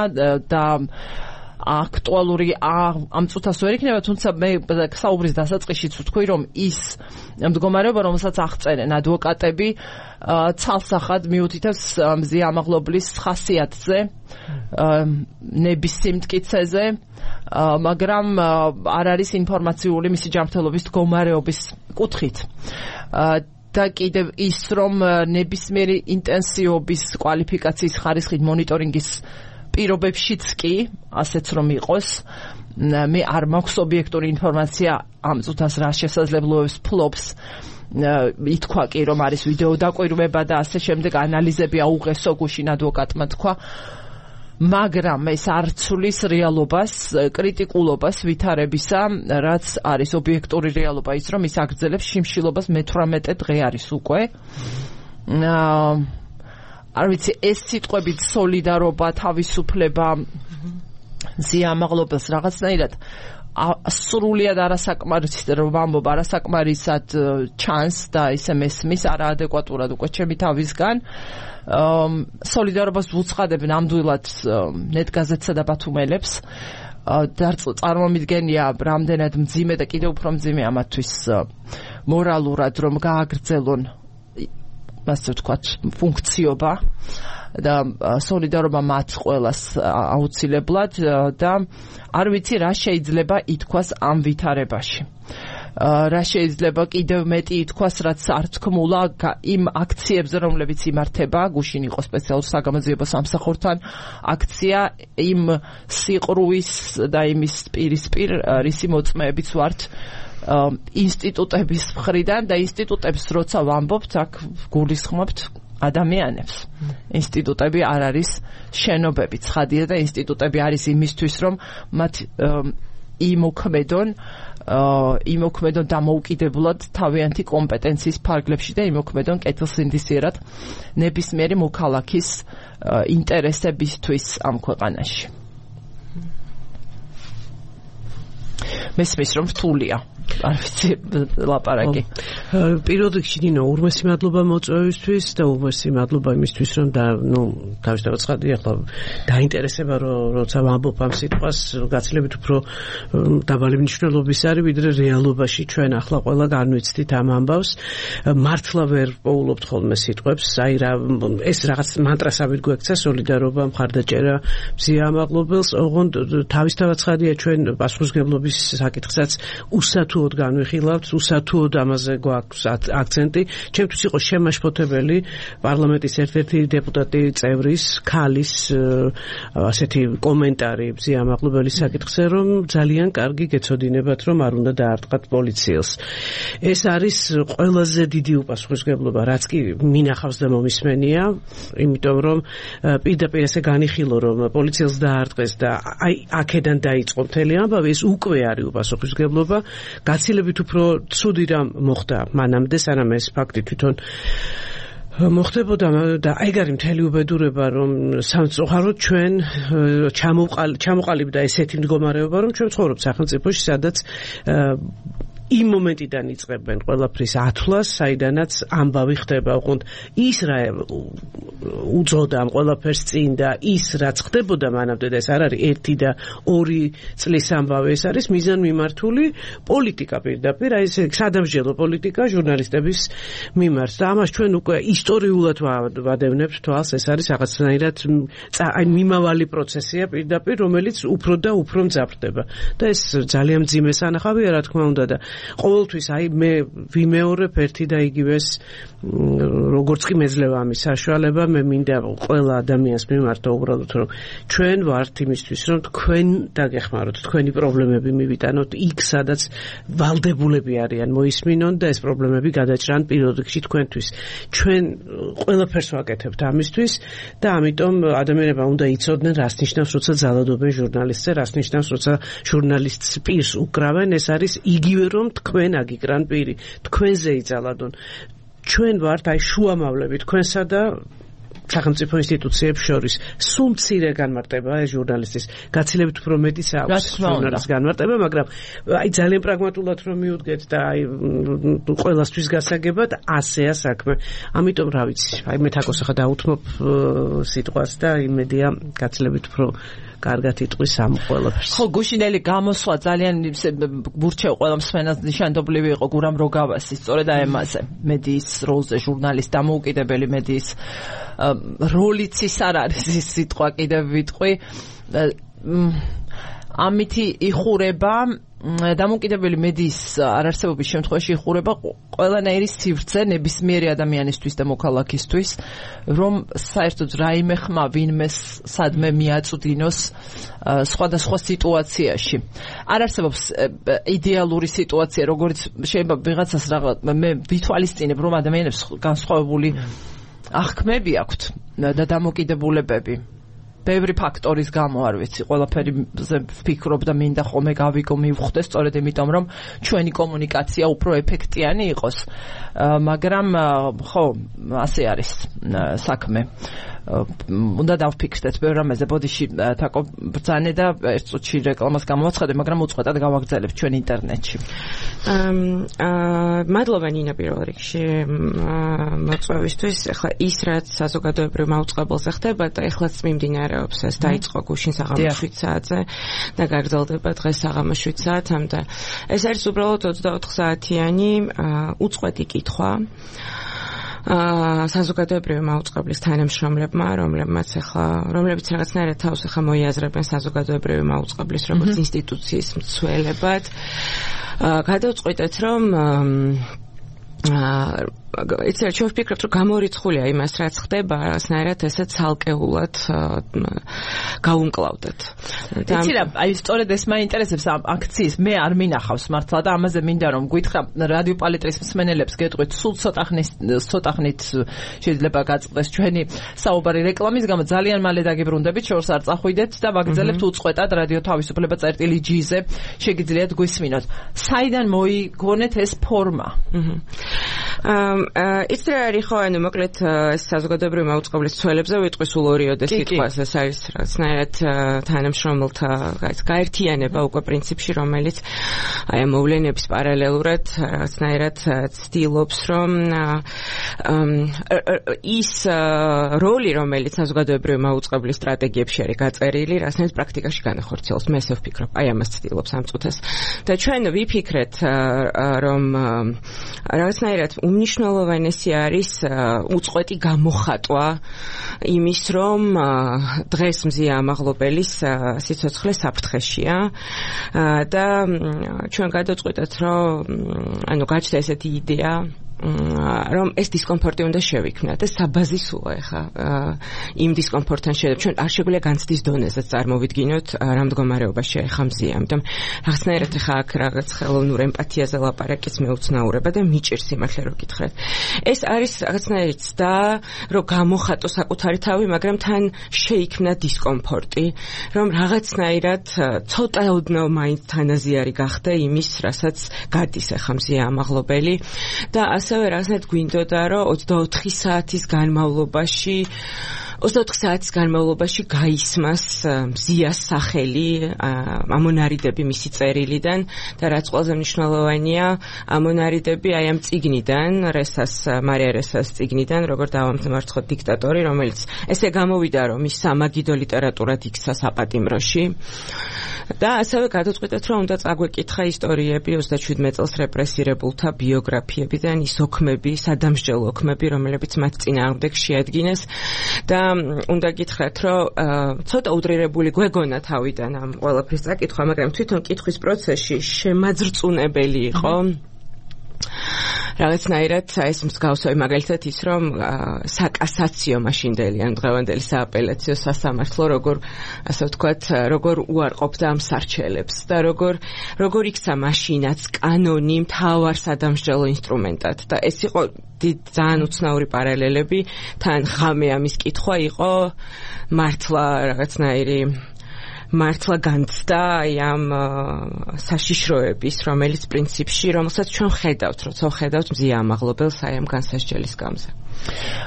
და აქტუალური ამ წუთას ვერ იქნება, თუმცა მე საუბრის დასაწყისშიც ვთქვი, რომ ის მდგომარეობა, რომელსაც აღწერენ ადვოკატები, ცალსახად მიუთითებს მზია ამაღლობლის ხასიათზე, ნების სიმტკიცეზე, მაგრამ არ არის ინფორმაციული მისი ჯანმრთელობის მდგომარეობის კუთხით. და კიდევ ის, რომ ნებისმიერი ინტენსივობის კვალიფიკაციის ხარისხით მონიტორინგის პირობებშიც კი, ასეც რომ იყოს, მე არ მაქვს ობიექტური ინფორმაცია ამ წუთას რა შესაძლებლობებს ფლობს. ითქვა კი, რომ არის ვიდეო დაკვირვება და ასე შემდეგ ანალიზები აუღესო გუშინ ადვოკატმა თქვა, მაგრამ ეს არ ცვლის რეალობას, კრიტიკულობას ვითარებისა, რაც არის ობიექტური რეალობა, ის რომ ის აგრძელებს შიმშილობას მე-18 დღე არის უკვე. არ ვიცი, ეს სიტყვებით სოლიდარობა, თავისუფლება, მზია ამაღლობელს რაღაცნაირად სრულიად არასაკმარისად რომ ვამბობ, არასაკმარისად ჩანს და ისე მესმის არაადეკვატურად უკვე ჩემი თავისგან. სოლიდარობას ვუცხადებ ნამდვილად ნეტგაზეთსა და ბათუმელებს. წარმომიდგენია რამდენად მძიმე და კიდევ უფრო მძიმე ამათთვის მორალურად რომ გააგრძელონ ასე ვთქვათ ფუნქციობა და სოლიდარობა მათ ყველას აუცილებლად და არ ვიცი რა შეიძლება ითქვას ამ ვითარებაში. რა შეიძლება კიდევ მეტი ითქვას, რაც არ თქმულა იმ აქციებზე, რომლებიც იმართება, გუშინ იყო სპეციალურ საგამოძიებო სამსახურთან აქცია, იმ სიყრუის და იმის პირისპირ, რისი მოწმეებიც ვართ ინსტიტუტების მხრიდან და ინსტიტუტებს როცა ვამბობთ, აქ გულისხმობთ ადამიანებს. ინსტიტუტები არ არის შენობები, ცხადია და ინსტიტუტები არის იმისთვის, რომ მათ იმოქმედონ დამოუკიდებლად თავიანთი კომპეტენციის ფარგლებში და იმოქმედონ კეთილსინდისიერად ნებისმიერი მოქალაქის ინტერესებისთვის ამ ქვეყანაში. მესმის რომ რთულია. არ ვიცი ლაპარაკი. პირველ რიგში ნინო, ურმესი მადლობა მოწვევისთვის და ურმესი მადლობა იმისთვის, რომ თავისთავად ცხადია, ახლა დაინტერესება, როცა ვამბობ ამ სიტყვას, გაცილებით უფრო დაბალი მნიშვნელობის არის, ვიდრე რეალობაში ჩვენ ახლა ყველა განვიცდით ამ ამბავს. მართლა ვერ პოულობთ ხოლმე სიტყვებს, აი რა ეს რაღაც მანტრასავით გვექცა სოლიდარობა, მხარდაჭერა მზია ამაღლობელს, ოღონდ თავისთავად ცხადია ჩვენ პასუხისმგებლობის საკითხსაც უსათუოდ განვიხილავთ, უსათუოდ ამაზე გვაქვს აქცენტი. ჩემთვის იყო შემაშფოთებელი პარლამენტის ერთ-ერთი დეპუტატი წევრის ქალის ასეთი კომენტარი მზია ამაღლობელის საკითხზე, რომ ძალიან კარგი გეცოდინებათ, რომ არ უნდა დაარტყათ პოლიციელს. ეს არის ყველაზე დიდი უპასუხისმგებლობა, რაც კი მინახავს და მომისმენია, იმიტომ რომ პირდაპირ ესე განიხილო, რომ პოლიციელს დაარტყეს და აი აქედან დაიწყო მთელი ამბავი, ეს უკვე არის უპასუხისმგებლობა. გაცილებით უფრო ცუდი რამ მოხდა მანამდე, სანამ ეს ფაქტი თვითონ მოხდებოდა და აიგარი მთელი უბედურება, რომ სამწუხაროდ ჩვენ ჩამოყალიბდა ესეთი მდგომარეობა, რომ ჩვენ ვცხოვრობთ სახელმწიფოში, სადაც იმ მომენტიდან იწყებენ ყველაფრის ათვლას, საიდანაც ამბავი ხდება, უყურთ ის რა უძღოდა ამ ყველაფერს წინ და ის რაც ხდებოდა მანამდე და ეს არ არის 1 და 2 წლის ამბავი, ეს არის მიზანმიმართული პოლიტიკა პირდაპირ, აი ეს სადამსჯელო პოლიტიკა ჟურნალისტების მიმართ და ამას ჩვენ უკვე ისტორიულად ვადევნებთ თვალს, ეს არის რაღაცნაირად აი მიმავალი პროცესია პირდაპირ, რომელიც უფრო და უფრო მძაფრდება და ეს ძალიან მძიმე სანახავია, რა თქმა უნდა და ყოველთვის აი მე ვიმეორებ ერთი და იგივეს, როგორც კი მეძლევა ამის საშუალება, მე მინდა ყველა ადამიანს მიმართა უბრალოდ, რომ ჩვენ ვართ იმისთვის, რომ თქვენ დაგეხმაროთ, თქვენი პრობლემები მივიტანოთ იქ, სადაც ვალდებულები არიან მოისმინონ და ეს პრობლემები გადაჭრან პირველ რიგში თქვენთვის. ჩვენ ყველაფერს ვაკეთებთ ამისთვის და ამიტომ ადამიანებმა უნდა იცოდნენ, რას ნიშნავს, როცა ძალადობენ ჟურნალისტზე, რას ნიშნავს, როცა ჟურნალისტს პირს უკრავენ, ეს არის იგივე რომ თქვენ აგიკრან პირი, თქვენზე იწალადონ. ჩვენ ვართ აი შუამავლები თქვენსა და სახელმწიფო ინსტიტუციებს შორის სულ მცირე განმარტება ეს ჟურნალისტის გაცილებით უფრო მეტის აქვს ჟურნალისტის განმარტება, მაგრამ აი ძალიან პრაგმატულად რომ მივუდგეთ და აი ყველასთვის გასაგებად ასეა საქმე. ამიტომ რა ვიცი, აი მე თაკოს ახლა დაუთმობ სიტყვას და იმედია გაცილებით უფრო კარგად იტყვის ამ ყველაფერს. ხო, გუშინელი გამოსვლა ძალიან გურჩევ ყველა მსმენელს ნიშანდობლივი იყო გურამ როგავასი, სწორედ აი ამაზე. მედიის როლზე ჟურნალისტ დამოუკიდებელი მედიის როლიც ის არ არის ის სიტყვა კიდევ ვიტყვი. ამითი იხურება დამოუკიდებელი მედიის არარსებობის შემთხვევაში იხურება ყველანაირი სივრცე ნებისმიერი ადამიანისთვის და მოქალაქისთვის, რომ საერთოდ რაიმე ხმა ვინმეს სადმე მიაწვდინოს სხვადასხვა სიტუაციაში. არ არსებობს იდეალური სიტუაცია, როგორც შეიძლება ვიღაცას მე ვითვალისწინებ, რომ ადამიანებს განსხვავებული აღქმები აქვთ და დამოკიდებულებები. ბევრი ფაქტორის გამო არ ვიცი, ყველაფერიზე ვფიქრობ და მინდა ხოლმე გავიგო მივხვდე, სწორედ იმიტომ რომ ჩვენი კომუნიკაცია უფრო ეფექტიანი იყოს. მაგრამ ხო, ასე არის საქმე. უნდა დავფიქრდეთ ბევრ რამეზე. ბოდიში თაკო ბრძანე და ერთ წუთში რეკლამას გამოვაცხადე, მაგრამ უწყვეტად გავაგრძელებ ჩვენ ინტერნეტში. მადლობა ნინა პირველ რიგში მოწვევისთვის. ახლა ის რაც საზოგადოებრივ მაუწყებელზე ხდება და ეხლაც მიმდინარეობს, ეს დაიწყო გუშინ საღამოს 7 საათზე და გაგრძელდება დღეს საღამოს 7 საათამდე. ეს არის უბრალოდ 24 საათიანი უწყვეტი კითხვა საზოგადოებრივი მაუწყებლის თანამშრომლებმა, რომლებიც რაღაცნაირად თავს ახლა მოიაზრებენ საზოგადოებრივი მაუწყებლის როგორც ინსტიტუციის მცველებად. გადავწყვიტეთ, რომ იცით, ჩვენ ვფიქრობთ, რომ გამორიცხულია იმას, რაც ხდება, რაღაცნაირად ესე ცალკეულად გავუმკლავდეთ. იცი რა, აი სწორედ ეს მაინტერესებს ამ აქციის, მე არ მინახავს მართლა და ამაზე მინდა რომ გითხრა რადიო პალიტრის მსმენელებს გეტყვით, სულ ცოტა ხნით შეიძლება გაწყდეს ჩვენი საუბარი რეკლამის გამო, ძალიან მალე დაგიბრუნდებით, შორს არ წახვიდეთ და ვაგრძელებთ უწყვეტად რადიო თავისუფლება წერტილი.gz-ზე შეგიძლიათ გვისმინოთ. საიდან მოიგონეთ ეს ფორმა? ის რა არის ხო, ანუ მოკლედ ეს საზოგადოებრივი მაუწყებლის ცველებზე ვიტყვი სულ ორიოდე სიტყვას, ეს არის რაღაცნაირად თანამშრომელთა გაერთიანება უკვე პრინციპში, რომელიც აი ამ მოვლენების პარალელურად რაღაცნაირად ცდილობს, რომ ის როლი, რომელიც საზოგადოებრივი მაუწყებლის სტრატეგიებში არის გაწერილი, რაღაცნაირად პრაქტიკაში განახორციელოს. მე ესე ვფიქრობ, აი ამას ცდილობს ამ წუთას. და ჩვენ ვიფიქრეთ, რომ რაღაცნაირად უმნიშვნელოვანესი არის უწყვეტი გამოხატვა იმის, რომ დღეს მზია ამაღლობელის სიცოცხლე საფრთხეშია და ჩვენ გადავწყვიტეთ, რომ ანუ გაჩნდა ესეთი იდეა, რომ ეს დისკომფორტი უნდა შევიქმნათ. ეს საბაზისოა ახლა იმ დისკომფორტთან შეიძლება ჩვენ არ შეგვიძლია განცდის დონეზე წარმოვიდგინოთ რა მდგომარეობაში ახლა მზია. ამიტომ რაღაცნაირად ახლა აქ რაღაც ხელოვნურ ემპათიაზე ლაპარაკიც მეუცნაურება და მიჭირს იმართლე რომ გითხრათ. ეს არის რაღაცნაირი ცდა, რომ გამოხატო საკუთარი თავი, მაგრამ თან შეიქმნა დისკომფორტი, რომ რაღაცნაირად ცოტაოდნავ მაინც თანაზიარი გახდა იმის, რასაც გადის ახლა მზია ამაღლობელი და ასევე რაღაცნაირად გვინდოდა, რომ 24 საათის განმავლობაში გაისმას მზიას სახელი, ამონარიდები მისი წერილიდან და რაც ყველაზე მნიშვნელოვანია, ამონარიდები აი ამ წიგნიდან, მარია რესას წიგნიდან, როგორ დავამსმარცხოთ დიქტატორი, რომელიც ესე გამოვიდა, რომ ის სამაგიდო ლიტერატურად იქცა საპატიმროში. და ასევე გადავწყვიტეთ, რომ უნდა წაგვეკითხა ისტორიები 37 წელს რეპრესირებულთა ბიოგრაფიებიდან, ის ოქმები, სადამსჯელო ოქმები, რომლებიც მათ წინააღმდეგ შეადგინეს და უნდა გითხრათ, რომ ცოტა უდრირებული გვეგონა თავიდან ამ ყველაფრის წაკითხვა, მაგრამ თვითონ კითხვის პროცესში შემაძრწუნებელი იყო. რაღაცნაირად ეს მსგავსი მაგალითად ის, რომ საკასაციო მაშინდელი ან დღევანდელი სააპელაციო სასამართლო ასე ვთქვათ, როგორ უარყოფდა ამ სარჩელებს და როგორ იქცა მაშინაც კანონი მთავარ სადამსჯელო ინსტრუმენტად და ეს იყო ძალიან უცნაური პარალელები, თან ღამე ამის კითხვა იყო მართლა რაღაცნაირი მართლა განცდა ამ საშიშროების, რომელიც პრინციპში, რომელსაც ჩვენ ხედავთ, როცა ხედავთ მზია ამაღლობელს აი ამ განსასჯელის გამზე.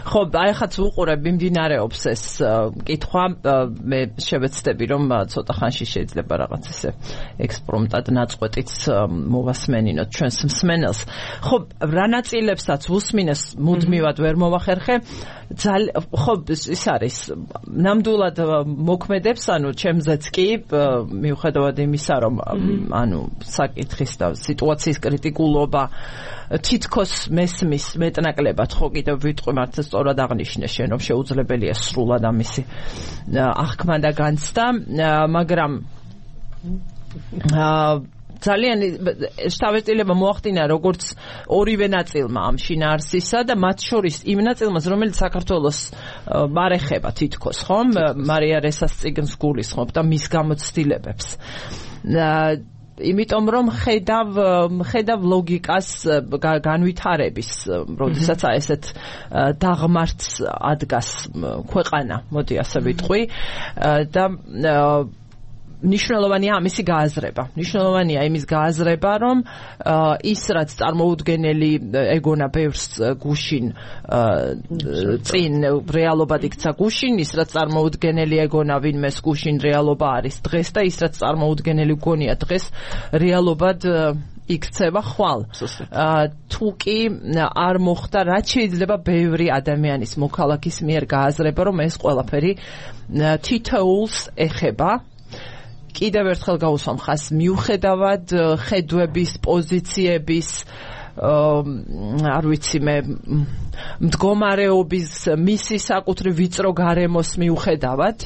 ხო, აი ხაც უყურებ მიმდინარეობს ეს კითხვა, მე შევეცდები რომ ცოტა ხანში შეიძლება რაღაც ესე ექსპრომტად ნაწყვეტიც მოვასმენინოთ ჩვენს მსმენელს. ხო, რა ნაწილებსაც უსმინეს მუდმივად ვერ მოვახერხე. ხო, ის არის ნამდვილად მოქმედებს, ანუ ჩემზეც კი მიუხედავად იმისა, რომ ანუ საკითხის და სიტუაციის კრიტიკულობა თითქოს მესმის მეტნაკლებად ხო კიდევ ვიტყვი მართლა სწორად აღნიშნე შენ რომ შეუძლებელია სრულად ამისი აღქმა და განცდა, მაგრამ ძალიან შთაბეჭდილება მოახდინა როგორც ორივე ნაწილმა ამ შინაარსისა და მათ შორის იმ ნაწილმაც რომელიც საქართველოს არ ეხება თითქოს ხომ მარია რესას წიგნს გულისხმობ და მის გამოცდილებებს იმიტომ რომ ხედავ ლოგიკას განვითარების, როდესაც ესეთ დაღმართს ადგას ქვეყანა, მოდი ასე ვიტყვი და მნიშვნელოვანია ამისი გააზრება. მნიშვნელოვანია იმის გააზრება, რომ ის რაც წარმოუდგენელი ეგონა ბევრს გუშინ წინ რეალობად იქცა გუშინ, ის რაც წარმოუდგენელი ეგონა ვინმეს გუშინ რეალობა არის დღეს და ის რაც წარმოუდგენელი გონია დღეს რეალობად იქცევა ხვალ. თუ კი არ მოხდა, რაც შეიძლება ბევრი ადამიანის მოქალაქის მიერ გააზრება, რომ ეს ყველაფერი თითოეულს ეხება. კიდევ ერთხელ გავუსვამ ხას მიუხედავად ხედვების, პოზიციების, არ ვიცი მე მდგომარეობის, მისი საკუთრივ ვიწრო გარემოს მიუხედავად,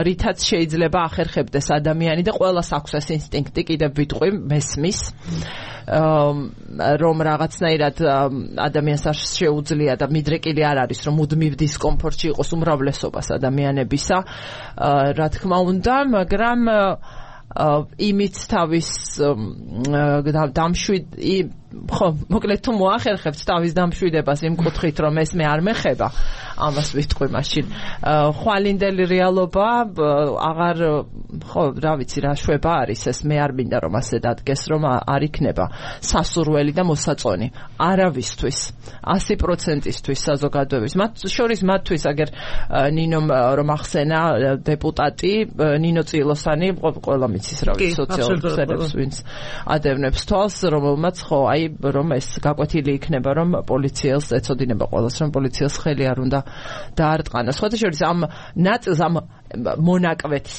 რითაც შეიძლება ახერხებდეს ადამიანი და ყველას აქვს ეს ინსტინქტი, კიდევ ვიტყვი, მესმის, რომ რაღაცნაირად ადამიანს არ შეუძლია და მიდრეკილი არ არის, რომ მუდმივ დისკომფორტში იყოს უმრავლესობას ადამიანებისა, რა თქმა უნდა, მაგრამ იმით თავის ხო, მოკლედ თუ მოახერხებთ თავის დამშვიდებას იმ კუთხით, რომ ეს მე არ მეხება, ამას ვიტყვი მაშინ. ხვალინდელი რეალობა აღარ, ხო, რა ვიცი, რა შვება არის ეს, მე არ მინდა რომ ასე დადგეს, რომ არ იქნება სასურველი და მოსაწონი. არავისთვის, 100%-ისთვის საზოგადოების. მათ შორის მათთვის, აგერ ნინომ რომ ახსენა დეპუტატი, ნინო წილოსანი, ყველა მიცის რა ვიცი, სოციალურებს ვინც ადევნებს თვალს, რომელმაც ხო რომ ეს გაკვეთილი იქნება, რომ პოლიციელს ეწოდინება ყველას, რომ პოლიციელს ხელი არ უნდა დაარტყანოს. სხვათა შორის ამ ნაწილს, ამ მონაკვეთს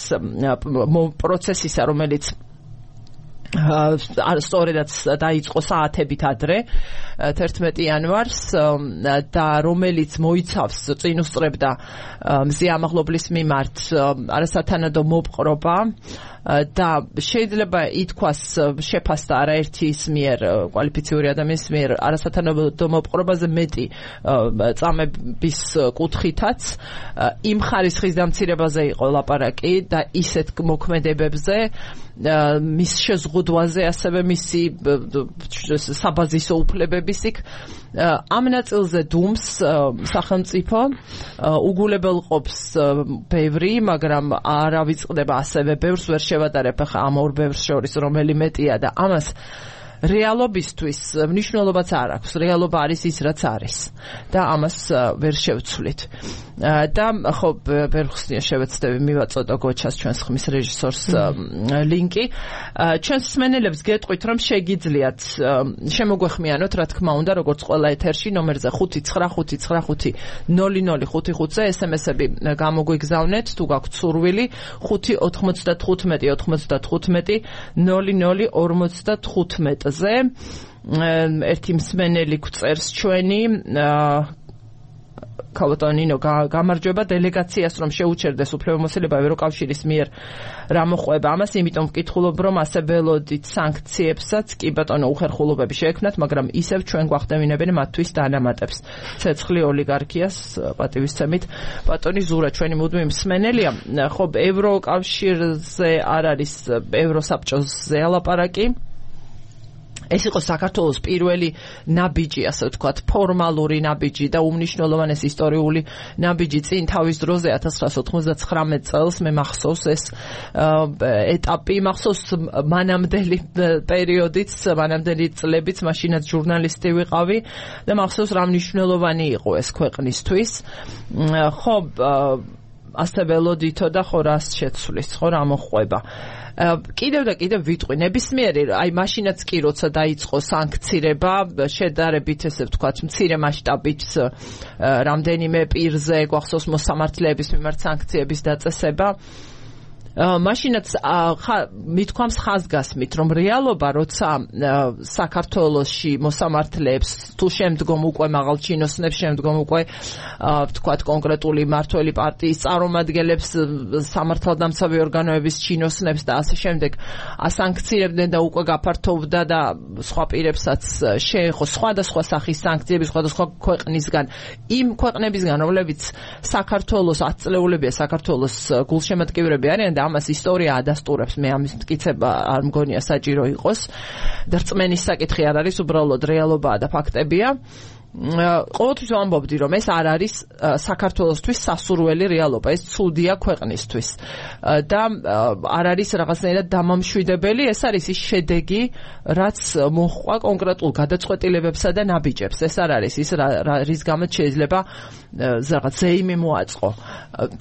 პროცესისა, რომელიც სწორედაც დაიწყო საათებით ადრე 11 იანვარს და რომელიც მოიცავს წინ უსწრებდა მზია ამაღლობლის მიმართ არასათანადო მოპყრობა და შეიძლება ითქვას შეფასდა არაერთის მიერ კვალიფიციური ადამიანის მიერ არასათანადო მოპყრობაზე მეტი წამების კუთხითაც იმ ხარისხის დამცირებაზე იყო ლაპარაკი და ისეთ მოქმედებებზე მის შეზღუდვაზე ასევე მისი საბაზისო უფლებების იქ ამ ნაწილზე დუმს სახელმწიფო უგულებელყოფს ბევრი, მაგრამ არ ავიწყდება ასევე ბევრს ვერ შევადარებ ახლა ამ ორ ბევრს შორის რომელი მეტია და ამას რეალობისთვის მნიშვნელობაც არ აქვს. რეალობა არის ის, რაც არის და ამას ვერ შევცვლით. და ხო, ბერხსნია შევეცდები მივაწოდო გოჩას ჩვენს ხმის რეჟისორს ლინკი. ჩვენს მსმენელებს გეტყვით, რომ შეგიძლიათ შემოგვეხმიანოთ, რა თქმა უნდა, როგორც ყველა ეთერში ნომერზე 595500555-ზე SMS-ები გამოგვიგზავნეთ, თუ გაქვთ სურვილი 595-0055-0055-ზე. ერთი მსმენელი გვწერს ჩვენი ქალბატონინო გამარჯვება დელეგაციას რომ შეუჩერდეს უფლებამოსილება ევროკავშირის მიერ რა მოყვება ამას, იმიტომ ვკითხულობ რომ ასე ველოდით სანქციებსაც კი ბატონო უხერხულობები შეექმნათ, მაგრამ ისევ ჩვენ გვახდევინებენ მათთვის დანამატებს. ცეცხლი ოლიგარქიას პატივისცემით ბატონი ზურა ჩვენი მუდმივი მსმენელია. ხო, ევროკავშირზე არ არის, ევროსაბჭოზე ალაპარაკი. ეს იყო საქართველოს პირველი ნაბიჯი, ასე ვთქვათ, ფორმალური ნაბიჯი და უმნიშვნელოვანესი ისტორიული ნაბიჯი წინ თავის დროზე 1999 წელს მე მახსოვს ეს ეტაპი, მახსოვს მანამდელი პერიოდიც, მანამდელი წლებიც, მაშინაც ჟურნალისტი ვიყავი და მახსოვს რა მნიშვნელოვანი იყო ეს ქვეყნისთვის. ხო, ასე ველოდითო და ხო რას შეცვლის, ხო რა მოხვება. კიდევ და კიდევ ვიტყვი, ნებისმიერი, აი მაშინაც კი როცა დაიწყო სანქცირება, შედარებით ესე ვთქვათ, მცირე მასშტაბით რამდენიმე პირზე გვახსოვს მოსამართლეების მიმართ სანქციების დაწესება. მაშინაც მithქვამს ხაზგასმით, რომ რეალობა, როცა საქართველოში მოსამართლეებს თუ შემდგომ უკვე მაღალ ჩინოსნებს, შემდგომ უკვე ვთქვათ კონკრეტული მმართველი პარტიის წარმომადგენლებს, სამართალდამცავი ორგანოების ჩინოსნებს და ასე შემდეგ ასანქცირებდნენ და უკვე გაფართოვდა და სხვა პირებსაც შეეხო სხვადასხვა სახის სანქციები სხვადასხვა ქვეყნისგან, იმ ქვეყნებისგან, რომლებიც საქართველოს ათწლეულებია საქართველოს გულშემატკივრები არიან და ამას ისტორია ადასტურებს, მე ამის მტკიცება არ მგონია საჭირო იყოს და რწმენის საკითხი არ არის, უბრალოდ რეალობაა და ფაქტებია. ყოველთვის ვამბობდი, რომ ეს არ არის საქართველოსთვის სასურველი რეალობა, ეს ცუდია ქვეყნისთვის და არ არის რაღაცნაირად დამამშვიდებელი, ეს არის ის შედეგი, რაც მოჰყვა კონკრეტულ გადაწყვეტილებებსა და ნაბიჯებს. ეს არ არის ის რის გამოც შეიძლება რაღაც ზეიმი მოაწყო.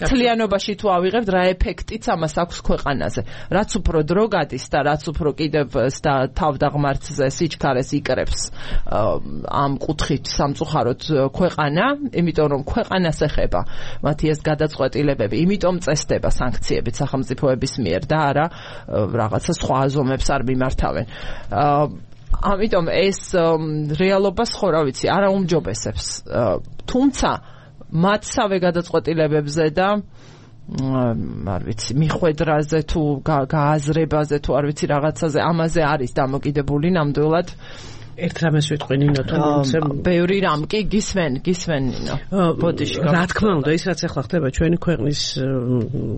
მთლიანობაში თუ ავიღებთ, რა ეფექტიც ამას აქვს ქვეყანაზე. რაც უფრო დრო გადის და რაც უფრო კიდევ და თავდაღმართზე სიჩქარეს იკრებს ამ კუთხით სამწუხაროდ ქვეყანა, იმიტომ რომ ქვეყანას ეხება მათი ეს გადაწყვეტილებები, იმიტომ წესდება სანქციებით სახელმწიფოების მიერ და არა რაღაცა სხვა აზომებს არ მიმართავენ. ამიტომ ეს რეალობას ხო რა ვიცი, არ აუმჯობესებს. თუმცა მათსავე გადაწყვეტილებებზე და არ ვიცი, მიხვედრაზე თუ გააზრებაზე თუ არ ვიცი რაღაცაზე, ამაზე არის დამოკიდებული ნამდვილად. ერთ რამეს ვიტყვი ნინო, თუმცა ბევრი რამ კი გისმენ ნინო. ბოდიში. რა თქმა უნდა, ის რაც ახლა ხდება ჩვენი ქვეყნის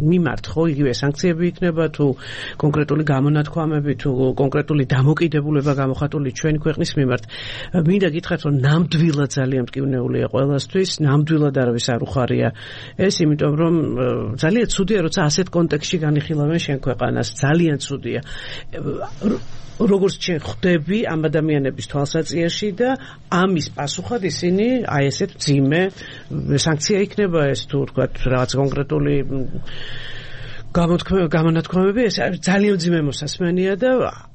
მიმართ, ხო, იგივე სანქციები იქნება თუ კონკრეტული გამონათქვამები თუ კონკრეტული დამოკიდებულება გამოხატული ჩვენი ქვეყნის მიმართ. მინდა გითხრათ, რომ ნამდვილად ძალიან მტკივნეულია ყველასთვის, ნამდვილად არავის არ უხარია ეს, იმიტომ რომ ძალიან ცუდია, როცა ასეთ კონტექსტში განიხილავენ შენ ქვეყანას, ძალიან ცუდია. როგორც ჩვენ ხვდები ამ ადამიანების თვალსაჩინოში და ამის პასუხად ისინი აი ესეთ მძიმე სანქცია იქნება ეს თუ ვთქვათ რაღაც კონკრეტული გამონათქვამები, ეს ძალიან მძიმე მოსასმენია და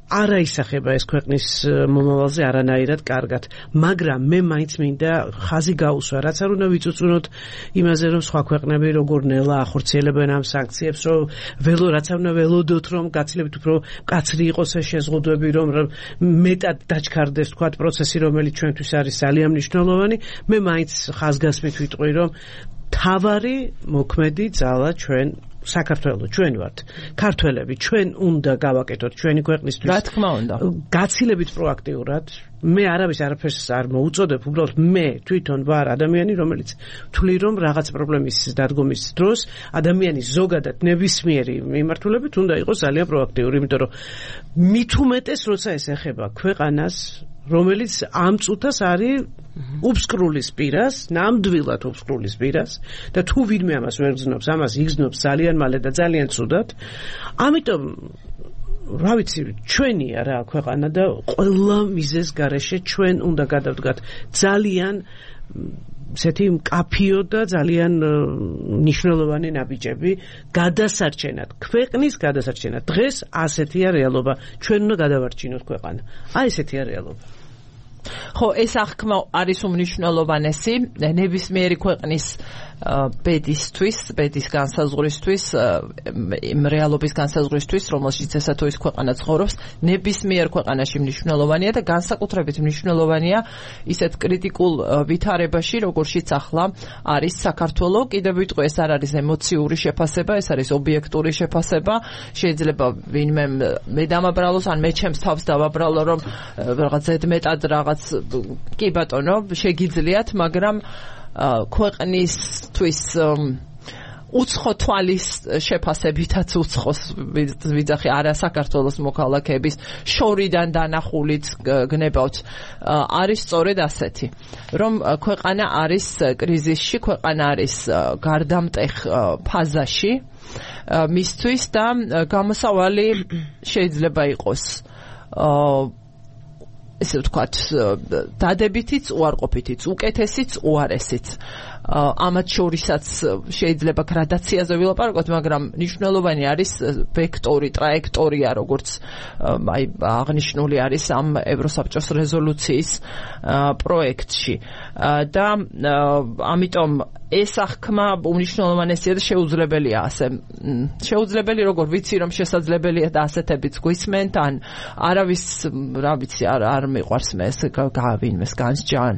არა ისახება ეს ქვეყნის მომავალზე არანაირად კარგად, მაგრამ მე მაინც მინდა ხაზი გაუსვა, რაც არ უნდა ვიწუწუნოთ იმაზე, რომ სხვა ქვეყნები როგორ ნელა ახორციელებენ ამ სანქციებს, რომ რაც არ უნდა ველოდოთ, რომ გაცილებით უფრო მკაცრი იყოს ეს შეზღუდვები, რომ მეტად დაჩქარდეს თქვათ პროცესი, რომელიც ჩვენთვის არის ძალიან მნიშვნელოვანი. მე მაინც ხაზგასმით ვიტყვი, რომ თავარი მოქმედი ძალა ჩვენ საქართველოს, ჩვენ ვართ ქართველები, ჩვენ უნდა გავაკეთოთ ჩვენი ქვეყნისთვის. რა თქმა უნდა. გაცილებით პროაქტიურად. მე არაფერს არ მოუწოდებ, უბრალოდ მე თვითონ ვარ ადამიანი, რომელიც თვლი რომ რაღაც პრობლემის დადგომის დროს ადამიანის ზოგადად ნებისმიერი მიმართულებით უნდა იყოს ძალიან პროაქტიური, იმიტომ რომ მით უმეტეს როცა ეს ეხება ქვეყანას, რომელიც ამ წუთას არის უბსკრულის პირას, ნამდვილად უბსკრულის პირას და თუ ვინმე ამას ვერ გზნობს, ამას იგზნობს ძალიან მალე და ძალიან ცუდად. ამიტომ რა ვიცი, ჩვენია რა ქვეყანა და ყველა მიზეზ გარეშე ჩვენ უნდა გადავდგათ ძალიან ესეთი მკაფიო და ძალიან მნიშვნელოვანი ნაბიჯები გადასარჩენად, ქვეყნის გადასარჩენად. დღეს ასეთია რეალობა. ჩვენ უნდა გადავარჩინოთ ქვეყანა. აი ესეთია რეალობა. ხო, ეს აღქმა არის უმნიშვნელოვანესი ნებისმიერი ქვეყნის ბედისთვის, ბედის განსაზღვრისთვის, რეალობის განსაზღვრისთვის, რომელშიც ესა თუ ის ქვეყანა ცხოვრობს, ნებისმიერ ქვეყანაში მნიშვნელოვანია და განსაკუთრებით მნიშვნელოვანია ისეთ კრიტიკულ ვითარებაში, როგორშიც ახლა არის საქართველო. კიდევ ვიტყვი, ეს არ არის ემოციური შეფასება, ეს არის ობიექტური შეფასება. შეიძლება ვინმე მე დამაბრალოს, ან მე ჩემს თავს დავაბრალო, რომ რაღაც ზედმეტად რაღაც კი ბატონო, შეგიძლიათ, მაგრამ ქვეყნისთვის უცხო თვალის შეფასებითაც უცხოს ვიძახი არა საქართველოს მოქალაქეების შორიდან დანახულით გნებავთ არის სწორედ ასეთი რომ ქვეყანა არის კრიზისში ქვეყანა არის გარდამტეხ ფაზაში მისთვის და გამოსავალი შეიძლება იყოს ესე ვთქვათ დადებითიც უარყოფითიც უკეთესიც უარესიც ამათ შორისაც შეიძლება გრადაციაზე ვილაპარაკოთ მაგრამ მნიშვნელოვანი არის ვექტორი ტრაექტორია როგორც აი აღნიშნული არის ამ ევროსაბჭოს რეზოლუციის პროექტში და ამიტომ ეს აღქმა უნიშნულოვანესია და შეუძლებელია ასე შეუძლებელი როგორ ვიცი რომ შესაძლებელია და ასეთებიც გვისმენთ ან არავის რა ვიცი არ მიყვარს მე ეს გავინმეს განსჯან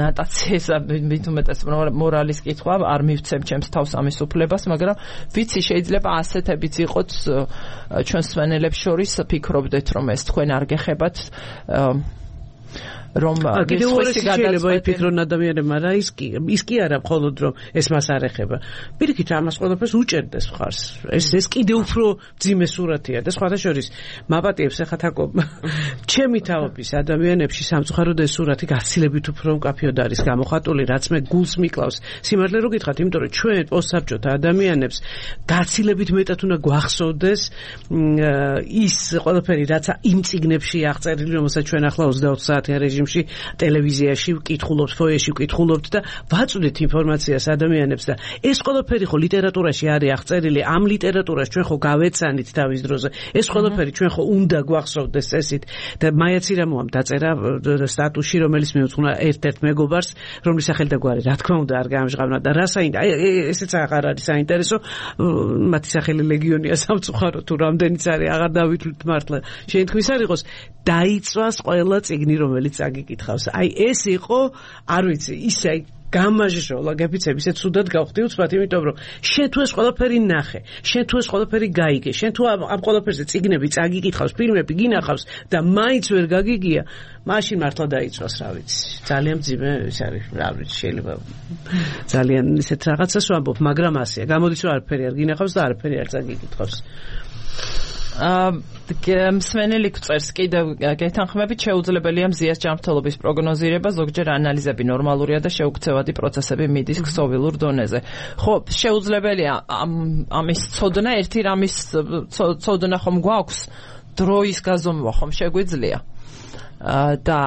ნატაციისა მით უმეტეს მორალის კითხვა არ მივცემ ჩემს თავს ამის უფლებას მაგრამ ვიცი შეიძლება ასეთებიც იყოთ ჩვენს მსმენელებს შორის ფიქრობდეთ რომ ეს თქვენ არ გეხებათ რომ კიდევ უარესი შეიძლება იფიქრონ ადამიანებმა რა ის კი არა მხოლოდ რომ ეს მას არ ეხება პირიქით ამას ყველაფერს უჭერდეს მხარს ეს კიდევ უფრო ძიმე სურათია და სხვათა შორის მაპატიებს ახლა თაკო ჩემი თავობის ადამიანებში სამწუხაროდ ეს სურათი გაცილებით უფრო მკაფიოდ არის გამოხატული რაც მე გულს მიკლავს სიმართლე რო გითხრათ იმიტომ რომ ჩვენ პოსტსაბჭოთა ადამიანებს გაცილებით მეტად უნდა გვახსოვდეს ის ყველაფერი რაც იმ წიგნებში აღწერილი რომელსაც ჩვენ ახლა 24 საათიან რეჟიმში ტელევიზიაში ვკითხულობთ, ფოიეში ვკითხულობთ და ვაწვდით ინფორმაციას ადამიანებს და ეს ყველაფერი ხო ლიტერატურაში არის აღწერილი, ამ ლიტერატურას ჩვენ ხო გავეცანით თავის დროზე. ეს ყველაფერი ჩვენ ხო უნდა გვახსოვდეს წესით და მაიაცირამოამ დაწერა სტატუსში, რომელიც მიუძღვნა ერთ-ერთ მეგობარს, რომლის სახელი და გვარი, რა თქმა უნდა, არ გამჟღავნა და რა ესეც აღარ არის საინტერესო, მათი სახელი ლეგიონია სამწუხარო თუ რამდენიც არის, აღარ დავითვლით მართლა. შენთქმის არ იყოს დაიწვას ყველა წიგნი, რომელიც აგიკითხავს. აი ეს იყო, არ ვიცი, ისე გამაჟშოლა გეფიცები ისე ცუდად გავხდი უცბად, იმიტომ რომ შენ თუ ეს ყველაფერი ნახე, შენ თუ ეს ყველაფერი გაიგე, შენ თუ ამ ყველაფერზე წიგნები წაგიკითხავს, ფილმები გინახავს და მაინც ვერ გაგიგია, მაშინ მართლა დაიწვას, რა ვიცი. ძალიან მძიმე ის არის, რა ვიცი, შეიძლება ძალიან ისეთ რაღაცას ვამბობ, მაგრამ ასეა. გამოდის რომ არაფერი არ გინახავს და არაფერი არ წაგიკითხავს. მსმენელი გვწერს კიდევ გეთანხმებით შეუძლებელია მზიას ჯანმრთელობის პროგნოზირება ზოგჯერ ანალიზები ნორმალურია და შეუქცევადი პროცესები მიდის ქსოვილურ დონეზე ხო შეუძლებელია ამის ცოდნა ერთი რამის ცოდნა ხომ გვაქვს დროის გაზომვა ხომ შეგვიძლია და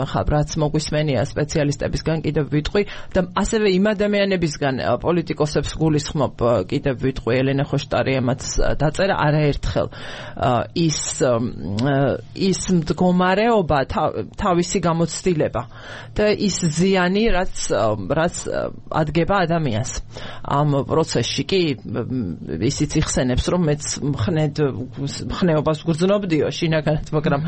რაც მოგვისმენია სპეციალისტებისგან კიდევ ვიტყვი და ასევე იმ ადამიანებისგან პოლიტიკოსებს გულისხმობ კიდევ ვიტყვი ელენე ხოშტარი ამაც დაწერა არაერთხელ ის მდგომარეობა თავისი გამოცდილება და ის ზიანი რაც ადგება ადამიანს ამ პროცესში კი ისიც იხსენებს რომ მეც მხნეობას ვგრძნობდიო შინაგანად მაგრამ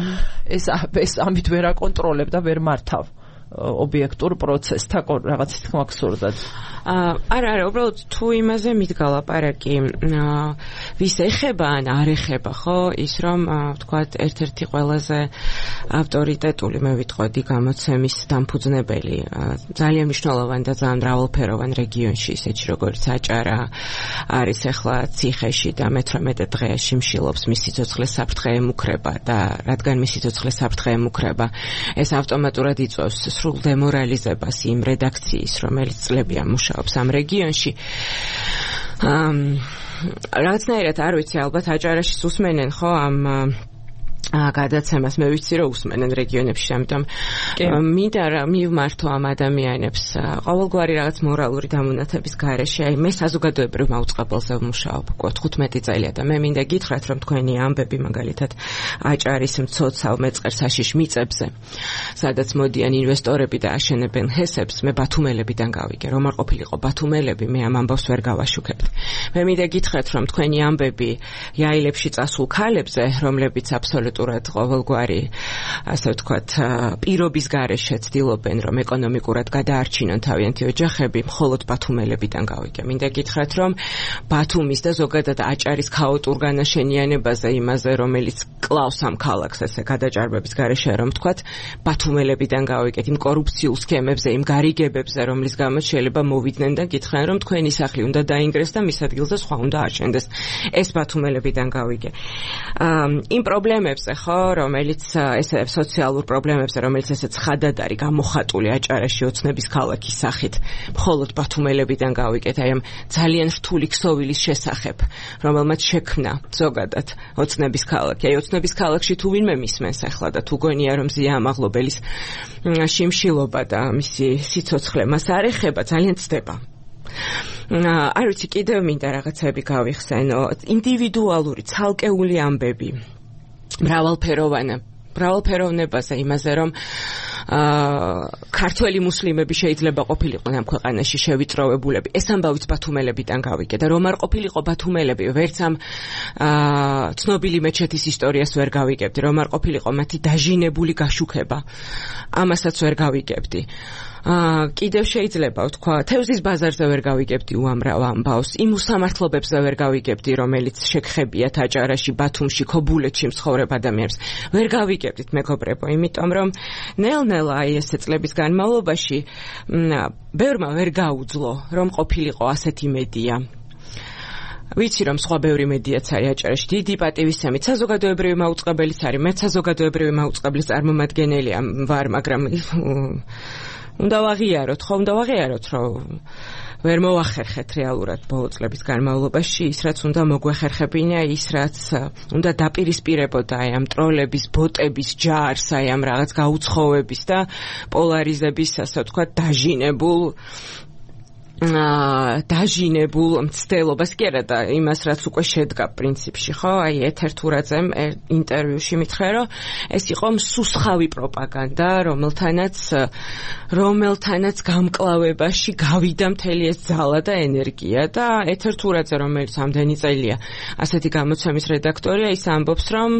ეს ამით ვერ აკონტროლებ და ვერ მართავ ობიექტურ პროცესს თაკო რაღაც თქმა გსურდათ არა უბრალოდ თუ იმაზე მიდგა ლაპარაკი ვის ეხება ან არ ეხება ხო ის რომ ვთქვათ ერთ-ერთი ყველაზე ავტორიტეტული მე ვიტყოდი გამოცემის დამფუძნებელი ძალიან მნიშვნელოვანი და ძალიან მრავალფეროვან რეგიონში ისეთი როგორც აჭარა არის ახლა ციხეში და მე-18 დღეში მშილობს მის სიცოცხლეს საფრთხე ემუქრება და რადგან მის სიცოცხლეს საფრთხე ემუქრება ეს ავტომატურად იწვევს სრულ დემორალიზებას იმ რედაქციის რომელიც წლებია მუშაობს ამ რეგიონში რაღაცნაირად არ ვიცი ალბათ აჭარაში უსმენენ ხო ამ გადაცემას მე ვიცი რომ უსმენენ რეგიონებში ამიტომ მინდა რა მივმართო ამ ადამიანებს ყოველგვარი რაღაც მორალური დამონათების გარეშე აი მე საზოგადოებრივ მაუწყებელზე ვმუშაობ 15 წელია და მე მინდა გითხრათ რომ თქვენი ამბები მაგალითად აჭარის მცოცავ მეწყერ საშიშ მიწებზე სადაც მოდიან ინვესტორები და აშენებენ ჰესებს მე ბათუმელებიდან გავიგე რომ არ ყოფილიყო ბათუმელები მე ამ ამბავს ვერ გავაშუქებთ მე მინდა გითხრათ რომ თქვენი ამბები იაილებში წასულ ქალებზე რომლებიც აბსოლუტურად აბსოლუტურად ყოველგვარი ასე ვთქვათ პირობის გარეშე ცდილობენ რომ ეკონომიკურად გადაარჩინონ თავიანთი ოჯახები, მხოლოდ ბათუმელებიდან გავიგე. მინდა გითხრათ რომ ბათუმის და ზოგადად აჭარის ქაოტურ განაშენიანებაზე იმაზე რომელიც კლავს ამ ქალაქს ესე გადაჭარბების გარეშე რომ ვთქვათ ბათუმელებიდან გავიგეთ იმ კორუფციულ სქემებზე, იმ გარიგებებზე რომლის გამოც შეიძლება მოვიდნენ და გითხრან რომ თქვენი სახლი უნდა დაინგრეს და მის ადგილზე სხვა უნდა აშენდეს. ეს ბათუმელებიდან გავიგე. იმ პრობლემებზე ხო, რომელიც ესე სოციალურ პრობლემებზე, რომელიც ესე ცხადად არის გამოხატული აჭარაში ოცნების ქალაქის სახით, მხოლოდ ბათუმელებიდან გავიგეთ, აი ამ ძალიან რთული ქსოვილის შესახებ, რომელმაც შექმნა ზოგადად ოცნების ქალაქი. აი ოცნების ქალაქში თუ ვინმე მისმენს ახლა და თუ გონია რომ ზია ამაღლობელის შიმშილობა და მისი სიცოცხლე მას არ ეხება, ძალიან ცდება. არ ვიცი, კიდევ მინდა რაღაცები გავიხსენო. ინდივიდუალური, ცალკეული ამბები, მრავალფეროვნებაზე იმაზე, რომ ქართველი მუსლიმები შეიძლება ყოფილიყვნენ ამ ქვეყანაში შევიწროვებულები. ეს ამბავიც ბათუმელებიდან გავიგე და რომ არ ყოფილიყო ბათუმელები, ვერც ამ ცნობილი მეჩეთის ისტორიას ვერ გავიგებდი, რომ არ ყოფილიყო მათი დაჟინებული გაშუქება. ამასაც ვერ გავიგებდი. კიდევ შეიძლება ვთქვა, თევზის ბაზარზე ვერ გავიგებდი უამრავ ამბავს, იმ უსამართლობებზე ვერ გავიგებდი, რომელიც შეგხებიათ აჭარაში, ბათუმში, ქობულეთში მცხოვრებ ადამიანებს. ვერ გავიგებდით, მეგობრებო, იმიტომ რომ ნელ-ნელა აი ესე წლების განმავლობაში ბევრმა ვერ გაუძლო, რომ ყოფილიყო ასეთი მედია. ვიცი რომ სხვა ბევრი მედიაც არის აჭარაში, დიდი პატივისცემით საზოგადოებრივი მაუწყებელიც არის, მეც საზოგადოებრივი მაუწყებლის წარმომადგენელი ვარ, მაგრამ უნდა ვაღიაროთ, რომ ვერ მოახერხეთ რეალურად ბოლო წლების განმავლობაში ის, რაც უნდა მოგვეხერხებინა, ის, რაც უნდა დაპირისპირებოდა აი ამ ტროლების, ბოტების ჯარს, აი ამ რაღაც გაუცხოვების და პოლარიზების, ასე ვთქვათ, დაჟინებულ მცდელობას კი არა და იმას რაც უკვე შედგა პრინციპში, ხო? აი ეთერ თურაძემ ინტერვიუში მითხრა, რომ ეს იყო მსუსხავი პროპაგანდა, რომელთანაც გამკლავებაში გავიდა მთელი ეს ძალა და ენერგია და ეთერ თურაძე, რომელიც ამდენი წელია ასეთი გამოცემის რედაქტორია, ის ამბობს, რომ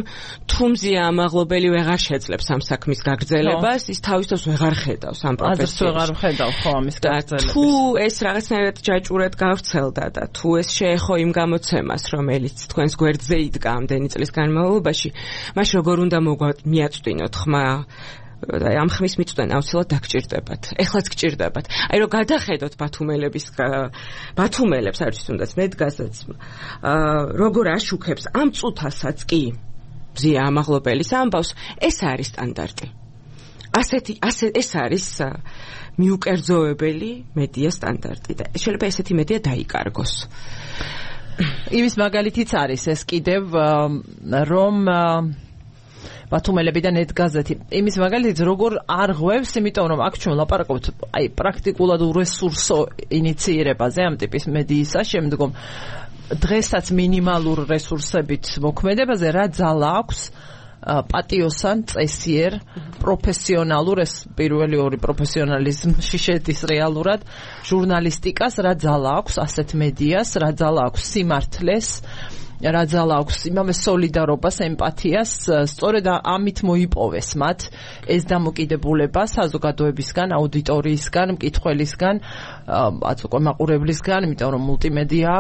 თუ მზია ამაღლობელი ვეღარ შეძლებს ამ საქმის გაგრძელებას, ის თავის თავს ვეღარ ხედავს ამ პროფესიას. ვეღარ ხედავ ხო ამის გაგრძელებას. თუ ეს რაღაცნაირად ჯაჭურად გავრცელდა და თუ ეს შეეხო იმ გამოცემას, რომელიც თქვენს გვერდზე იდგა ამდენი წლის განმავლობაში, მას როგორ უნდა მიაწვდინოთ ხმა? ამ ხმის მიწვდენ აუცილებლად დაგჭირდებათ. ეხლაც გჭირდებათ. აი რომ გადახედოთ ბათუმელებს, არ ვიცი თუნდაც მედგაზეც, როგორ აშუქებს ამ წუთასაც კი ზია ამაღლობელის ამბავს, ეს არის სტანდარტი. ეს არის მიუკერძოებელი მედია სტანდარტი და შეიძლება ესეთი მედია დაიკარგოს. იმის მაგალითიც არის ეს კიდევ რომ ბათუმელებიდან ედგაზეთი. იმის მაგალითიც როგორ არ ღვევს, იმიტომ რომ აქ ჩვენ ლაპარაკობთ აი პრაქტიკულად რესურსო ინიციირებაზე ამ ტიპის მედიისა, შემდგომ დღესაც მინიმალურ რესურსებით მოქმედებაზე რა ძალა აქვს პატიოსან, წესიერ, პროფესიონალურ, ეს პირველი ორი პროფესიონალიზმში შედის რეალურად, ჟურნალისტიკას, რა ძალა აქვს ასეთ მედიას, რა ძალა აქვს სიმართლეს, რა ძალა აქვს იმავე სოლიდარობას, ემპათიას, სწორედ ამით მოიპოვეს მათ ეს დამოკიდებულება საზოგადოებისგან, აუდიტორიისგან, მკითხველისგან, უკვე მაყურებლისგან, იმიტომ რომ მულტიმედია,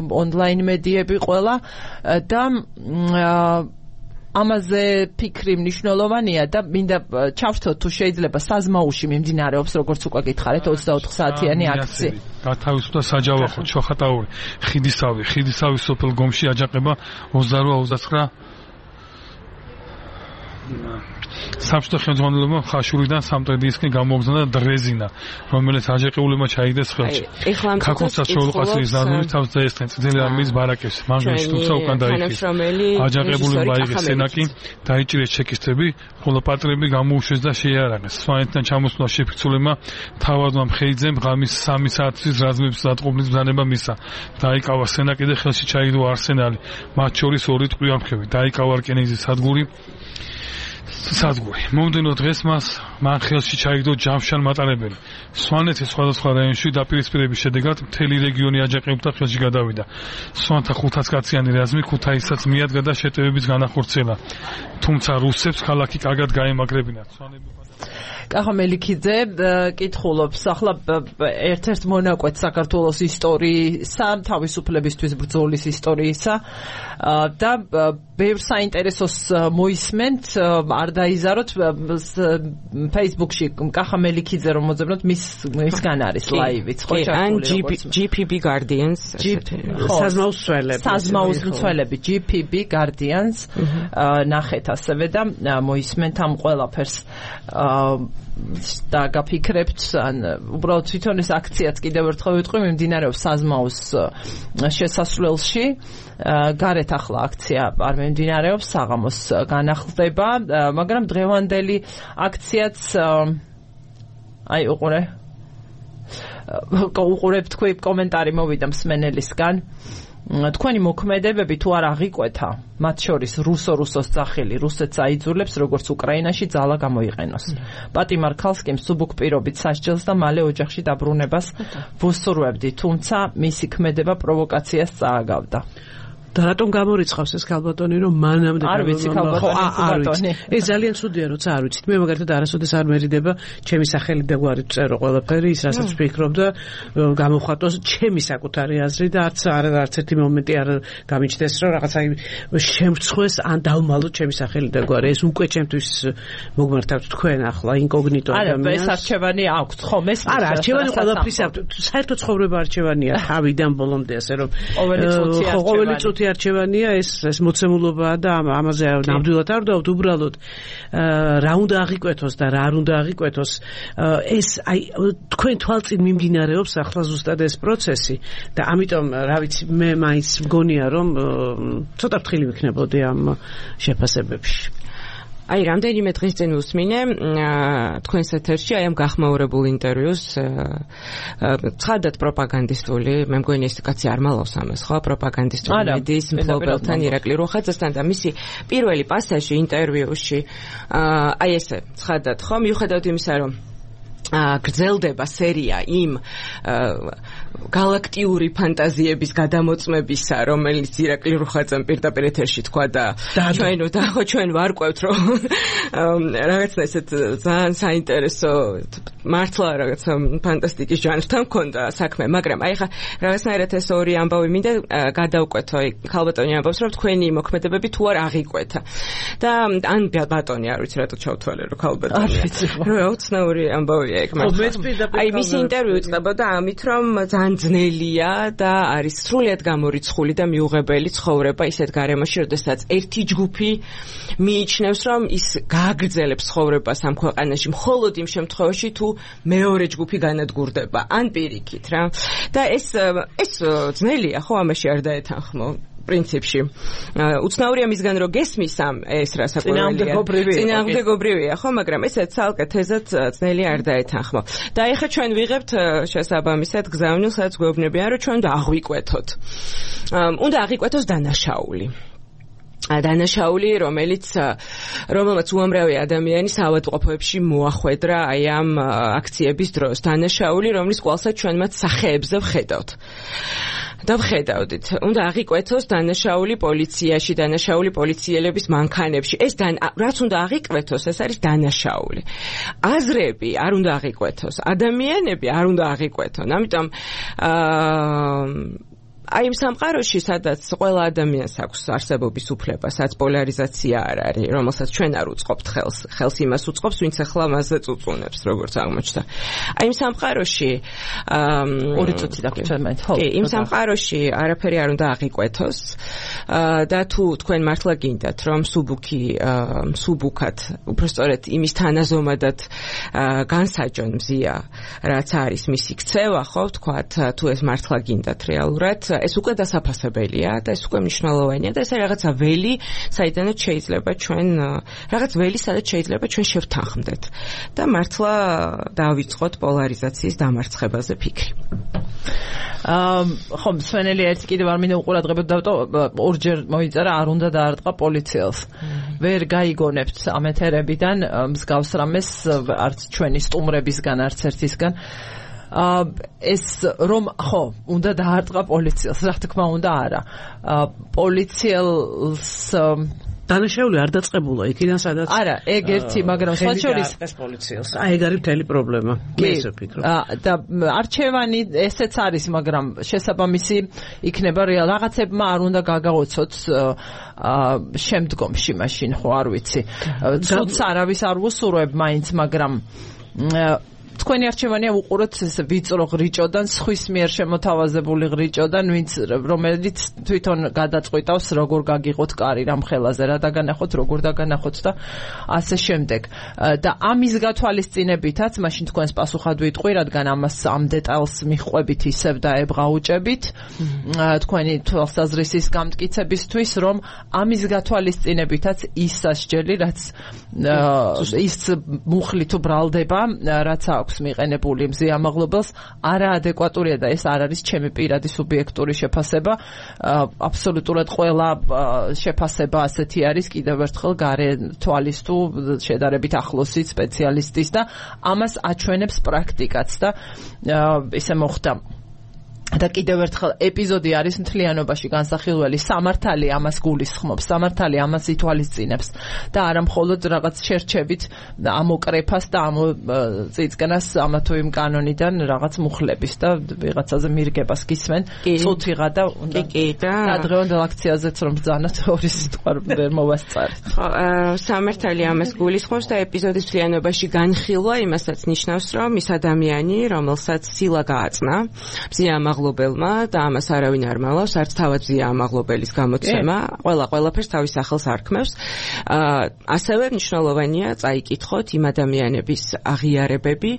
ონლაინ მედიები ყველა და ამაზე ფიქრი მნიშვნელოვანია და მინდა ჩავშთოთ თუ შეიძლება საზმაუში მიმდინარეობს, როგორც უკვე გითხარით, 24 საათიანი აქცია. გათავისუფლდა საჯავახო ჩოხატაური, ხიდისავი სოფელ გომში აჯანყება 28-29 საბჭოთა ხელმძღვანელობამ ხაშურიდან სამტრედიისკენ გამოგზავნა დრეზინა, რომელიც აჯანყებულებმა ჩაიგდეს ხელში. ქაქოს საშუალო ყაზის ზარნული თავს დაესხნენ წითელი არმიის ბარაკებს. მანგლში თუმცა უკან დაიხიეს. აჯანყებულებმა აიღეს სენაკი, დაიჭირეს ჩეკისტები, ხოლო პატრიოტები გამოუშვეს და შეიარაღეს. სვანეთიდან ჩამოსვლა შეფიცულებმა თავადმა მხეიძემ ღამის 3 საათის რაზმების დატყობნის ბრძანება მისცა. დაიკავა სენაკი და ხელში ჩაიგდო არსენალი. მათ შორის 2 ტყვიამხები. დაიკავა რკინიგზის სადგური. მომდენო დღეს მას მან ხელში ჩაიგდო ჯამშან მატარებელი. სვანეთის სხვადასხვა რაიონში დაპირისპირების შედეგად მთელი რეგიონი აჯანყებულთა ხელში გადავიდა. სვანთა 500 კაციანი რაზმი ქუთაისაც მიადგა და შეტევების განახორციელა. თუმცა რუსებს ქალაქი კარგად გაემაგრებინათ. კახა მელიქიძე კითხულობს ახლა ერთ-ერთ მონაკვეთს საქართველოს ისტორიისა, თავისუფლებისთვის ბრძოლის ისტორიისა და ბევრ საინტერესოს მოისმენთ, არ დაიზაროთ Facebook-ში კახა მელიქიძე რომ მოძებნოთ მისგან არის ლაივიც, ხო ჩართული როგორც GPB Guardians საზმაუს მცველები GPB Guardians ნახეთ ასევე და მოისმენთ ამ ყველაფერს და გაფიქრებთ ან უბრალოდ თვითონ ეს აქციაც კიდევ ერთხელ ვიტყვი მიმდინარეობს საზმაუს შესასვლელში გარეთ ახლა აქცია არ მიმდინარეობს საღამოს განახლდება მაგრამ დღევანდელი აქციაც აი უყურებ თქვი კომენტარი მოვიდა მსმენელისგან თქვენი მოქმედებები თუ არ აღიკვეთა მათ შორის რუსოს სახელი რუსეთს აიძულებს როგორც უკრაინაში ძალა გამოიყენოს პატიმარ ქალს კი მსუბუქ პირობით სასჯელს და მალე ოჯახში დაბრუნებას ვუსურვებდი თუმცა მისი ქმედება პროვოკაციას წააგავდა და რატომ გამორიცხავს ეს ქალბატონი რომ მანამდე არ ვიცი ქალბატონი ეს ძალიან ცუდია როცა არ ვიცით მე მაგალითად არასოდეს არ მერიდება ჩემი სახელი და გვარი წერო ყველაფერი ის რასაც ვფიქრობ და გამოვხატოს ჩემი საკუთარი აზრი და არც ერთი მომენტი არ გამიჩნდეს რომ რაღაცა შემრცხვეს ან დავმალოთ ჩემი სახელი და გვარი ეს უკვე ჩემთვის მოგმართავთ თქვენ ახლა ინკოგნიტო ადამიანს ეს არჩევანი აქვს ხო მე არა არჩევანი ყველაფრის საერთო ცხოვრება არჩევანია თავიდან ბოლომდე ასე რომ ყოველი წუთი არჩევანია ეს მოცემულობაა და ამაზე ნამდვილად არ დავთ უბრალოდ რა უნდა აღიკვეთოს და რა არ უნდა აღიკვეთოს ეს აი თქვენ თვალწინ მიმდინარეობს ახლა ზუსტად ეს პროცესი და ამიტომ რა ვიცი მე მაინც მგონია რომ ცოტა ფრთხილი ვიქნებოდი ამ შეფასებებში აი რამდენიმე დღის წინ უსმინე თქვენს ეთერში აი ამ გახმაურებულ ინტერვიუს ცხადად პროპაგანდისტული მე მგონი ეს კაცი არ მალავს ამას ხო პროპაგანდისტული მედიის მფლობელთან ირაკლი როხაძესთან და მისი პირველი პასაჟი ინტერვიუში აი ესე ცხადად ხო მიუხედავად იმისა რომ გრძელდება სერია იმ galaktiuri ფანტაზიების გადამოწმებისა, რომელიც ირაკლი რუხაძემ პირდაპირ ეთერში თქვა და ჩვენ ვარკვევთ, რომ რაღაცა ესეთ ძალიან საინტერესო მართლა რაღაცა ფანტასტიკის ჟანრთან მქონდა საქმე, მაგრამ აი ხა რაღაცნაირად ეს ორი ამბავი მინდა გადავკვეთო, ქალბატონი ამბობს, რომ თქვენი მოქმედებები თუ არ აღიკვეთა. და ან ბატონი არ ვიცი რატო ჩავთვალე, რომ ქალბატონი. რა უცნაური ამბავია ეგ მართლა. აი მისი ინტერვიუ იწყებოდა ამით, რომ ძალიან ძნელია და არის სრულიად გამორიცხული და მიუღებელი ცხოვრება ისეთ გარემოში, როდესაც ერთი ჯგუფი მიიჩნევს, რომ ის გააგრძელებს ცხოვრებას ამ ქვეყანაში მხოლოდ იმ შემთხვევაში, თუ მეორე ჯგუფი განადგურდება, ან პირიქით რა. და ეს ძნელია, ხო, ამაში არ დაეთანხმო. პრინციპში. უცნაურია მისგან რომ გესმის ამ ეს რასაკვირველია. წინააღმდეგობრივია, ხო, მაგრამ ესე ცალკე თეზად ძნელი არ დაეთანხმო. და ეხლა ჩვენ ვიღებთ შესაბამისად გზავნილს, სადაც გვეუბნებიან, რომ ჩვენ უნდა აღვიკვეთოთ. უნდა აღვიკვეთოს დანაშაული. დანაშაული, რომელმაც უამრავი ადამიანი საავადმყოფოებში მოახვედრა აი ამ აქციების დროს. დანაშაული, რომლის კვალსაც ჩვენ მათ სახეებზე ვხედავთ. და ვხედავდით, უნდა აღიკვეთოს დანაშაული პოლიციაში, დანაშაული პოლიციელების მანქანებში. ეს რაც უნდა აღიკვეთოს, ეს არის დანაშაული. აზრები არ უნდა აღიკვეთოს, ადამიანები არ უნდა აღიკვეთონ. ამიტომ აი იმ სამყაროში, სადაც ყველა ადამიანს აქვს არსებობის უფლება, სადაც პოლარიზაცია არ არის, რომელსაც ჩვენ არ უწყობთ ხელს იმას უწყობს, ვინც ახლა მასზე წუწუნებს, როგორც აღმოჩნდა. აი იმ სამყაროში ორი წუთი დაგჭირდა მე. ხო. კი, იმ სამყაროში არაფერი არ უნდა აღიკვეთოს და თუ თქვენ მართლა გინდათ, რომ სუბუქად, უბრალოდ იმის თანაზომადად განსაჯონ მზია, რაც არის მისი ქცევა, ხო, ვთქვათ, თუ ეს მართლა გინდათ რეალურად ეს უკვე დასაფასებელია და ეს უკვე მნიშვნელოვანია და ეს არის რაღაცა ველი, საიდანაც შეიძლება ჩვენ რაღაც ველი, სადაც შეიძლება ჩვენ შევთანხმდეთ და მართლა დავიწყოთ პოლარიზაციის დამარცხებაზე ფიქრი. ხო, მსვენელი ერთ კიდევ არ მინდა უყურადღებოდ დავტო, ორჯერ მოიწერა, არ უნდა დაარტყა პოლიციელს. ვერ გაიგონებთ ამ ეთერებიდან მსგავს რამეს არც ჩვენი სტუმრებისგან არც ერთისგან ეს რომ ხო უნდა დაარტყა პოლიციელს რა თქმა უნდა არა პოლიციელს დანაშაული არ დაწყებულა იქიდან სადაც არა ეგ ერთი მაგრამ სხვა შორის პოლიციელს აი ეგ არის მთელი პრობლემა მე ესე ვფიქრობ და არჩევანი ესეც არის მაგრამ შესაბამისი იქნება რაღაცებმა არ უნდა გაგაოცოთ შემდგომში მაშინ ხო არ ვიცი ცუდს არავის არ უსურვებ მაინც მაგრამ თქვენი არჩევანია უყუროთ ეს ვიწრო ღრიჭოდან, სხვის მიერ შემოთავაზებული ღრიჭოდან, რომელიც თვითონ გადაწყვიტავს, როგორ გაგიღოთ კარი რამ ხელაზე, რა დაგანახოთ, როგორ დაგანახოთ და ასე შემდეგ. და ამის გათვალისწინებითაც, მაშინ თქვენს პასუხად ვიტყვი, რადგან ამას ამ დეტალს მიხვებით ისევ და ებღაუჭებით, თქვენი თვალსაზრისის გამტკიცებისთვის, რომ ამის გათვალისწინებითაც ის სასჯელი, რაც ის მუხლი თუ ბრალდება, რაც აქვს მიყენებული მზიამაღლობელს არაადეკვატურია და ეს არ არის ჩემი პირადი სუბიექტური შეფასება აბსოლუტურად ყველა შეფასება ასეთი არის კიდევ ერთხელ გარე თვალის თუ შედარებით ახლოსი სპეციალისტის და ამას აჩვენებს პრაქტიკაც და ისე მოხდა და კიდევ ერთხელ ეპიზოდი არის მთლიანობაში განსახილველი სამართალი ამას გულისხმობს სამართალი ამას ითვალისწინებს და არა მხოლოდ რაღაც შერჩებით ამოკრეფას და ამ წიწკნას ამა თუ იმ კანონიდან რაღაც მუხლების და ვიღაცაზე მირგებას გისმენ წუთიღა და და დღევანდელ აქციაზეც რომ ბრძანოთ ორი სიტყვა ვერ მოვასწარეთ ხო სამართალი ამას გულისხმობს და ეპიზოდის მთლიანობაში განხილვა იმასაც ნიშნავს რომ ის ადამიანი რომელსაც სილა გააწნა მზიამაღლობელმა და ამას არავინ არ მალავს, არც თავად მზიამაღლობელის გამოცემა, ყველაფერს თავის სახელს არქმევს. ასევე მნიშვნელოვანია წაიკითხოთ იმ ადამიანების აღიარებები,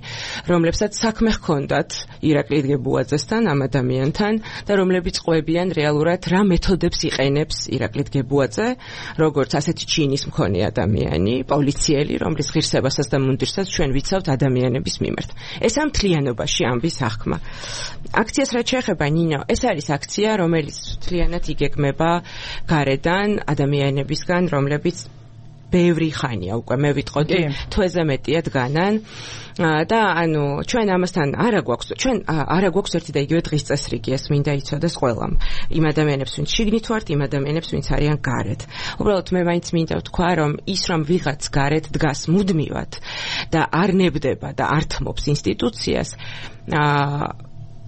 რომლებსაც საქმე ჰქონდათ ირაკლი დგებუაძესთან, ამ ადამიანთან და რომლებიც ყვებიან რეალურად რა მეთოდებს იყენებს ირაკლი დგებუაძე, როგორც ასეთი ჩინის მქონე ადამიანი, პოლიციელი, რომლის ღირსებასაც და მუნდირსაც ჩვენ ვიცავთ ადამიანების მიმართ. ეს ამ მთლიანობაში ამბის აღქმა. აქციას რაც შეეხება ნინო, ეს არის აქცია, რომელიც მთლიანად იგეგმება გარედან ადამიანებისგან, რომლებიც ბევრი ხანია უკვე მე ვიტყოდი, თვეზე მეტია დგანან და ანუ ჩვენ ამასთან არა გვაქვს ერთი და იგივე დღის წესრიგი, ეს მინდა იცოდეს ყველამ. იმ ადამიანებს, ვინც შიგნით ვართ, იმ ადამიანებს, ვინც არიან გარეთ. უბრალოდ მე მაინც მინდა ვთქვა, რომ ის რომ ვიღაც გარეთ დგას მუდმივად და არ ნებდება და არ თმობს ინსტიტუციას,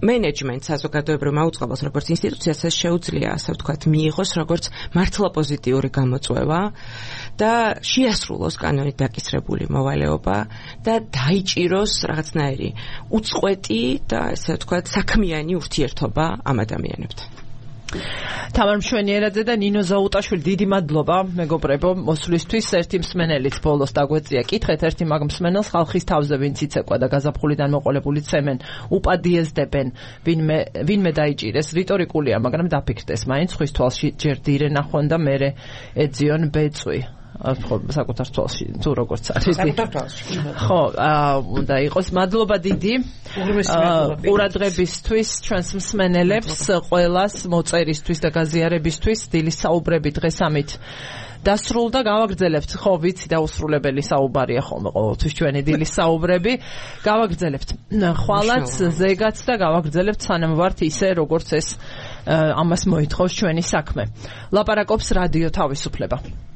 მენეჯმენტ საზოგადოებრივ მაუწყებელს როგორც ინსტიტუციას ეს შეუძლია ასე ვთქვათ მიიღოს როგორც მართლა პოზიტიური გამოწვევა და შეასრულოს კანონით დაკისრებული მოვალეობა და დაიჭიროს რაღაცნაირი უწყვეტი და ასე ვთქვათ საქმიანი ურთიერთობა ამ ადამიანებთან. თამარ მშვენიერაძე და ნინო ზაუტაშვილი დიდი მადლობა მეგობრებო მოსვლისთვის ერთი მსმენელით ბოლოს დაგვეწია კითხეთ ერთი მაგ მსმენელს ხალხის თავზე ვინც იცეკვა და გაზაფხულიდან მოყოლებული ცემენ უპადიეზდებენ ვინმე დაიჭირეს რიტორიკულია მაგრამ დაფიქრდეს მაინც ხვის თვალში ჯერ დირე ნახვენ და მერე ეძიონ ბეწვი ხო საკუთარ თვალში თუ როგორც არის ხო უნდა იყოს მადლობა დიდი ყურადღებისთვის ჩვენს მსმენელებს ყველას მოწერისთვის და გაზიარებისთვის დილის საუბრები დღეს ამით დასრულდა გავაგრძელებთ ხო ვიცი დაუსრულებელი საუბარია ხოლმე ყოველთვის ჩვენი დილის საუბრები გავაგრძელებთ ხვალაც ზეგაც და გავაგრძელებთ სანამ ვართ ისე როგორც ეს ამას მოითხოვს ჩვენი საქმე ლაპარაკობს რადიო თავისუფლება